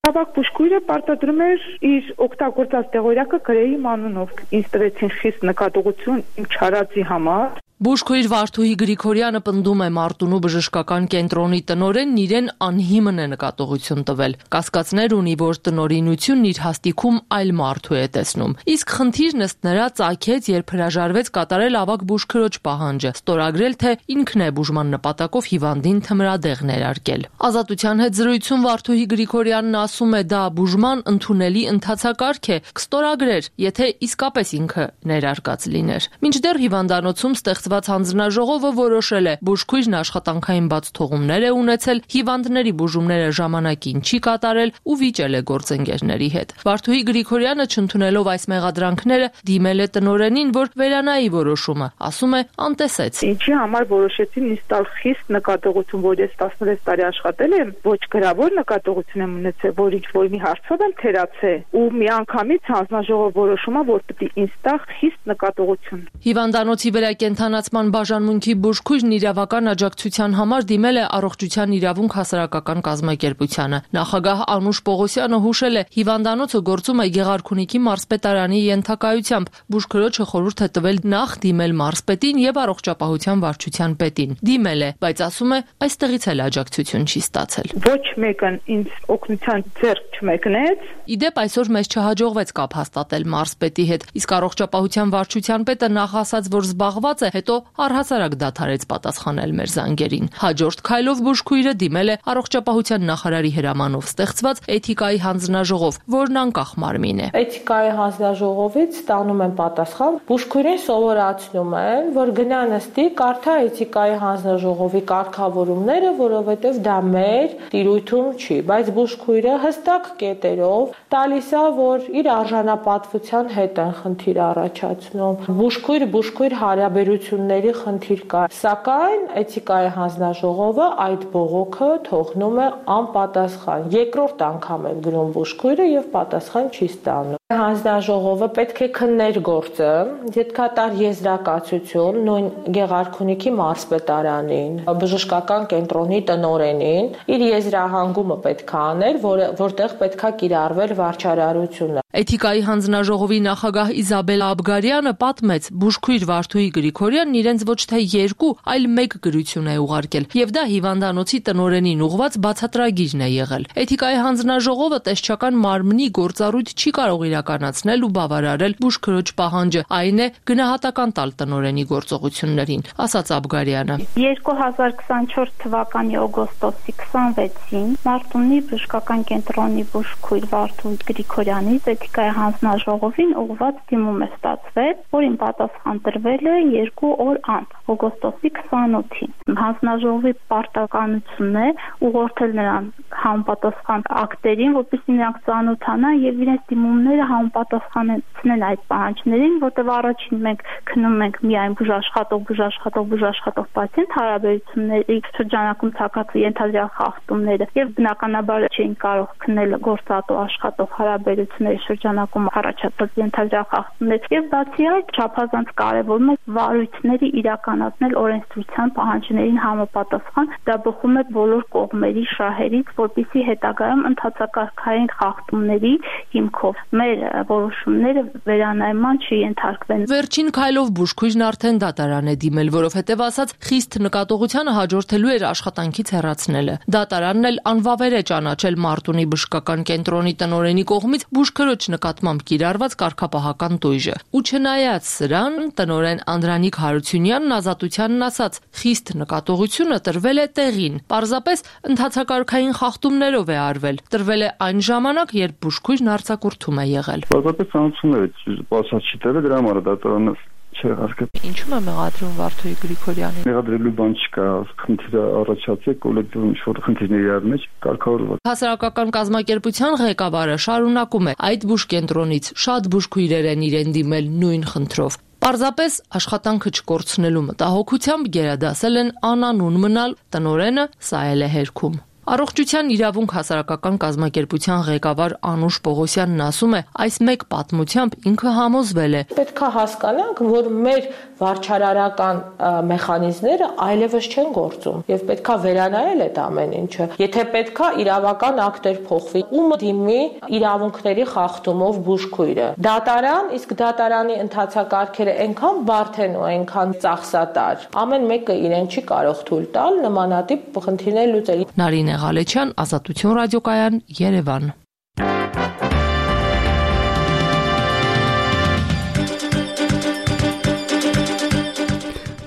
Ավակ բուժքույրը պարտադրում էր իր օգտագործած տեղորյակը գրեի մանունով։ Ինձ տվեցին խիստ նկատողություն իմ չարածի համար։ Բուժքույր Վարդուհի Գրիգորյանը պնդում է Մարտունու բժշկական կենտրոնի տնօրենն իրեն անհիմն է նկատողություն տվել։ Կասկածներ ունի, որ տնօրինությունն իր հաստիքում այլ մարդու է տեսնում։ Իսկ խնդիրն ըստ նրա ծագեց, երբ հրաժարվեց կատարել ավակ բուժքրոջ պահանջը, ստորագրել, թե ինքն է բուժման նպատակով հիվանդին թմրադեղ ներարկել։ Ազատության հետ զրույցում Վարդուհի Գրիգորյանն ասում է, դա բուժման ընդունելի ընթացակարգ է, կստորագրեր, եթե իսկապես ինքը ներարկած լիներ։ Մինչդեռ հիվանդանոցում ստեղծված հանձնաժողովը որոշել է բուժքույրն աշխատանքային բաց թողումներ է ունեցել, հիվանդների բուժումները ժամանակին չի կատարել ու վիճել է գործընկերների հետ։ Վարդուհի Գրիգորյանը չընդունելով այս մեղադրանքները դիմել է տնօրենին, որ վերանայի որոշումը, ասում է անտեսեց։ Ինչի համար որոշեցին ինձ տալ խիստ նկատողություն, որ ես տասնվեց տարի աշխատել եմ, ոչ գրավոր նկատողություն եմ ունեցել, որ ինչ որ մի հարցով եմ թերացել ու միանգամից հանձնաժողով որոշումը, որ պետք է ինձ տա խիստ նկատողություն։ Հիվանդանոցի վրա կենթանացման բաժանմունքի բուժքույրն իրավական աջակցության համար դիմել է առողջության իրավունք հասարակական կազմակերպությանը։ Նախագահ Անուշ Պողոսյանը հուշել է, հիվանդանոցը գործում է Գեղարքունիքի մարզպետարանի ենթակայությամբ։ Բուժքրոջը խորհուրդ է տվել նախ դիմել մարզպետին եւ առողջապահության վարչության պետին։ Դիմել է, բայց ասում է, այստեղից էլ աջակցություն չի ստացել։ Ոչ մեկն ինձ օգնության ձեռք չմեկնեց։ Իդեպ այսօր մեզ չհաջողվեց կապ հաստատել մարզպետի հետ, իսկ առողջապահության վարչության պետը նախ ասաց, որ զբաղված է, հետո առհասարակ դադարեց պատասխանել մեր զանգերին։ Հաջորդ քայլով բուժքույրը դիմել է առողջապահության նախարարի հրամանով ստեղծված էթիկայի հանձնաժողով, որն անկախ մարմին է։ Էթիկայի հանձնաժողովից ստանում են պատասխան, բուժքույրին սովորացնում են, որ գնա նստի, կարդա էթիկայի հանձնաժողովի կարգավորումները, որովհետև դա մեր տիրույթում չի, բայց բուժքույրը հստակ կետերով տալիս է, որ իր արժանապատվության հետ են խնդիր առաջացնում։ Բուժքույր բուժքույր հարաբերությունների խնդիր կա, սակայն էթիկայի հանձնաժողովը այդ բողոքը թողնում է անպատասխան։ Երկրորդ անգամ է գրում բուժքույրը եւ պատասխան չի ստանում։ Հանձնաժողովը պետք է քններ գործը, յետքատար եզրակացություն նույն Գեղարքունիքի մարզպետարանին, բժշկական կենտրոնի տնօրենին, իր եզրահանգումը պետք է աներ, որ, որտեղ պետք է կիրառվել վարչարարությունը։ Էթիկայի հանձնաժողովի նախագահ Իզաբել Աբգարյանը պատմեց, բուժքույր Վարդուհի Գրիգորյանն իրենց ոչ թե երկու, այլ մեկ գրություն է ուղարկել, եւ դա հիվանդանոցի տնօրենին ուղված բացատրագիրն է եղել։ Էթիկայի հանձնաժողովը տեսչական մարմնի գործառույթ չի կարող իրականացնել ու բավարարել բուժքրոջ պահանջը, այն է գնահատական տալ տնօրենի գործողություններին, ասաց Աբգարյանը։ երկու հազար քսանչորս թվականի օգոստոսի քսանվեցին Մարտունի բժշկական կենտրոնի բուժքույր Վարդուհի Գրիգորյանից պոլիտիկայի հանձնաժողովին ուղղված դիմում է ստացվել, որին պատասխան տրվել է երկու օր անց, օգոստոսի քսանօթին։ Հանձնաժողովի պարտականությունն է ուղղորդել նրան համապատասխան ակտերին, որպեսզի նրանք ծանոթանան եւ իրենց դիմումները համապատասխանեցնեն այդ պահանջներին, որտեղ առաջին մենք քննում ենք միայն բուժաշխատող, բուժաշխատող, բուժաշխատող պացիենտ հարաբերությունների շրջանակում ցակած ենթադրյալ խախտումները եւ բնականաբար չէին կարող քննել գործատու աշխատող հարաբերությունների շրջանակում առաջացած ենթադրյալ խախտումներ եւ բացի այդ չափազանց կարեւորում է վարույթների իրականացնել օրենսդրության պահանջներին համապատասխան, դա բխում է բոլոր կողմերի շահերից, որպեսզի հետագայում ընդհանրակարգային խախտումների հիմքով մեր որոշումները վերանայման չենթարկվեն։ Վերջին քայլով բուժքույրն արդեն դատարան է դիմել, որովհետև ասաց խիստ նկատողությանը հաջորդելու էր աշխատանքից հեռացնելը։ Դատարանն էլ անվավեր է ճանաչել Մարտունի բժշկական կենտրոնի տնօրենի կողմից բուժքրոջ նկատմամբ կիրառված կարգապահական տույժը։ Ու չնայած սրան, տնօրեն Անդրանիկ Հարությունյանն ազատությանն ասաց, խիստ նկատողությունը տրվել է տեղին, պարզապես ընդհանրակարգային խախտումներով է արվել։ Տրվել է այն ժամանակ, երբ բուժքույրն արձակուրդում է եղել։ Պարզապես ցանցումներ է, բացած չի տվել, դրա համար դատարանը Ինչու՞ է մեղադրում Վարդուհի Գրիգորյանին։ Մեղադրելու բան չկա, խնդիրը առաջացել կոլեկտիվ ինչ-որ խնդիրների առ մեջ կարգավորված։ Հասարակական կազմակերպության ղեկավարը շարունակում է այդ բուժկենտրոնից շատ բուժքույրեր են իրեն դիմել նույն խնդրով։ Պարզապես աշխատանքը չկորցնելու մտահոգությամբ գերադասել են անանուն մնալ, տնօրենը սա էլ է հերքում։ Առողջության իրավունք հասարակական կազմակերպության ղեկավար Անուշ Պողոսյանն ասում է, այս մեկ պատմությամբ ինքը համոզվել է։ Պետք է հասկանանք, որ մեր վարչարարական մեխանիզմները այլևս չեն գործում եւ պետք է վերանայել այդ ամեն ինչը։ Եթե պետք է իրավական ակտեր փոխվի, ում դիմի իրավունքների խախտումով բուժքույրը։ Դատարան, իսկ դատարանի ընթացակարգերը այնքան բարդ են ու այնքան ծախսատար։ Ամեն մեկը իրեն չի կարող թույլ տալ նմանատիպ խնդիրներ լուծել։ Նարինե Ղալեչյան, Ազատություն ռադիոկայան, Երևան։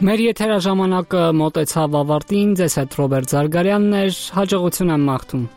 Մեր եթերաժամանակը մոտեցավ ավարտին, ձեզ հետ Ռոբերտ Զարգարյանն էր, հաջողություն եմ մաղթում։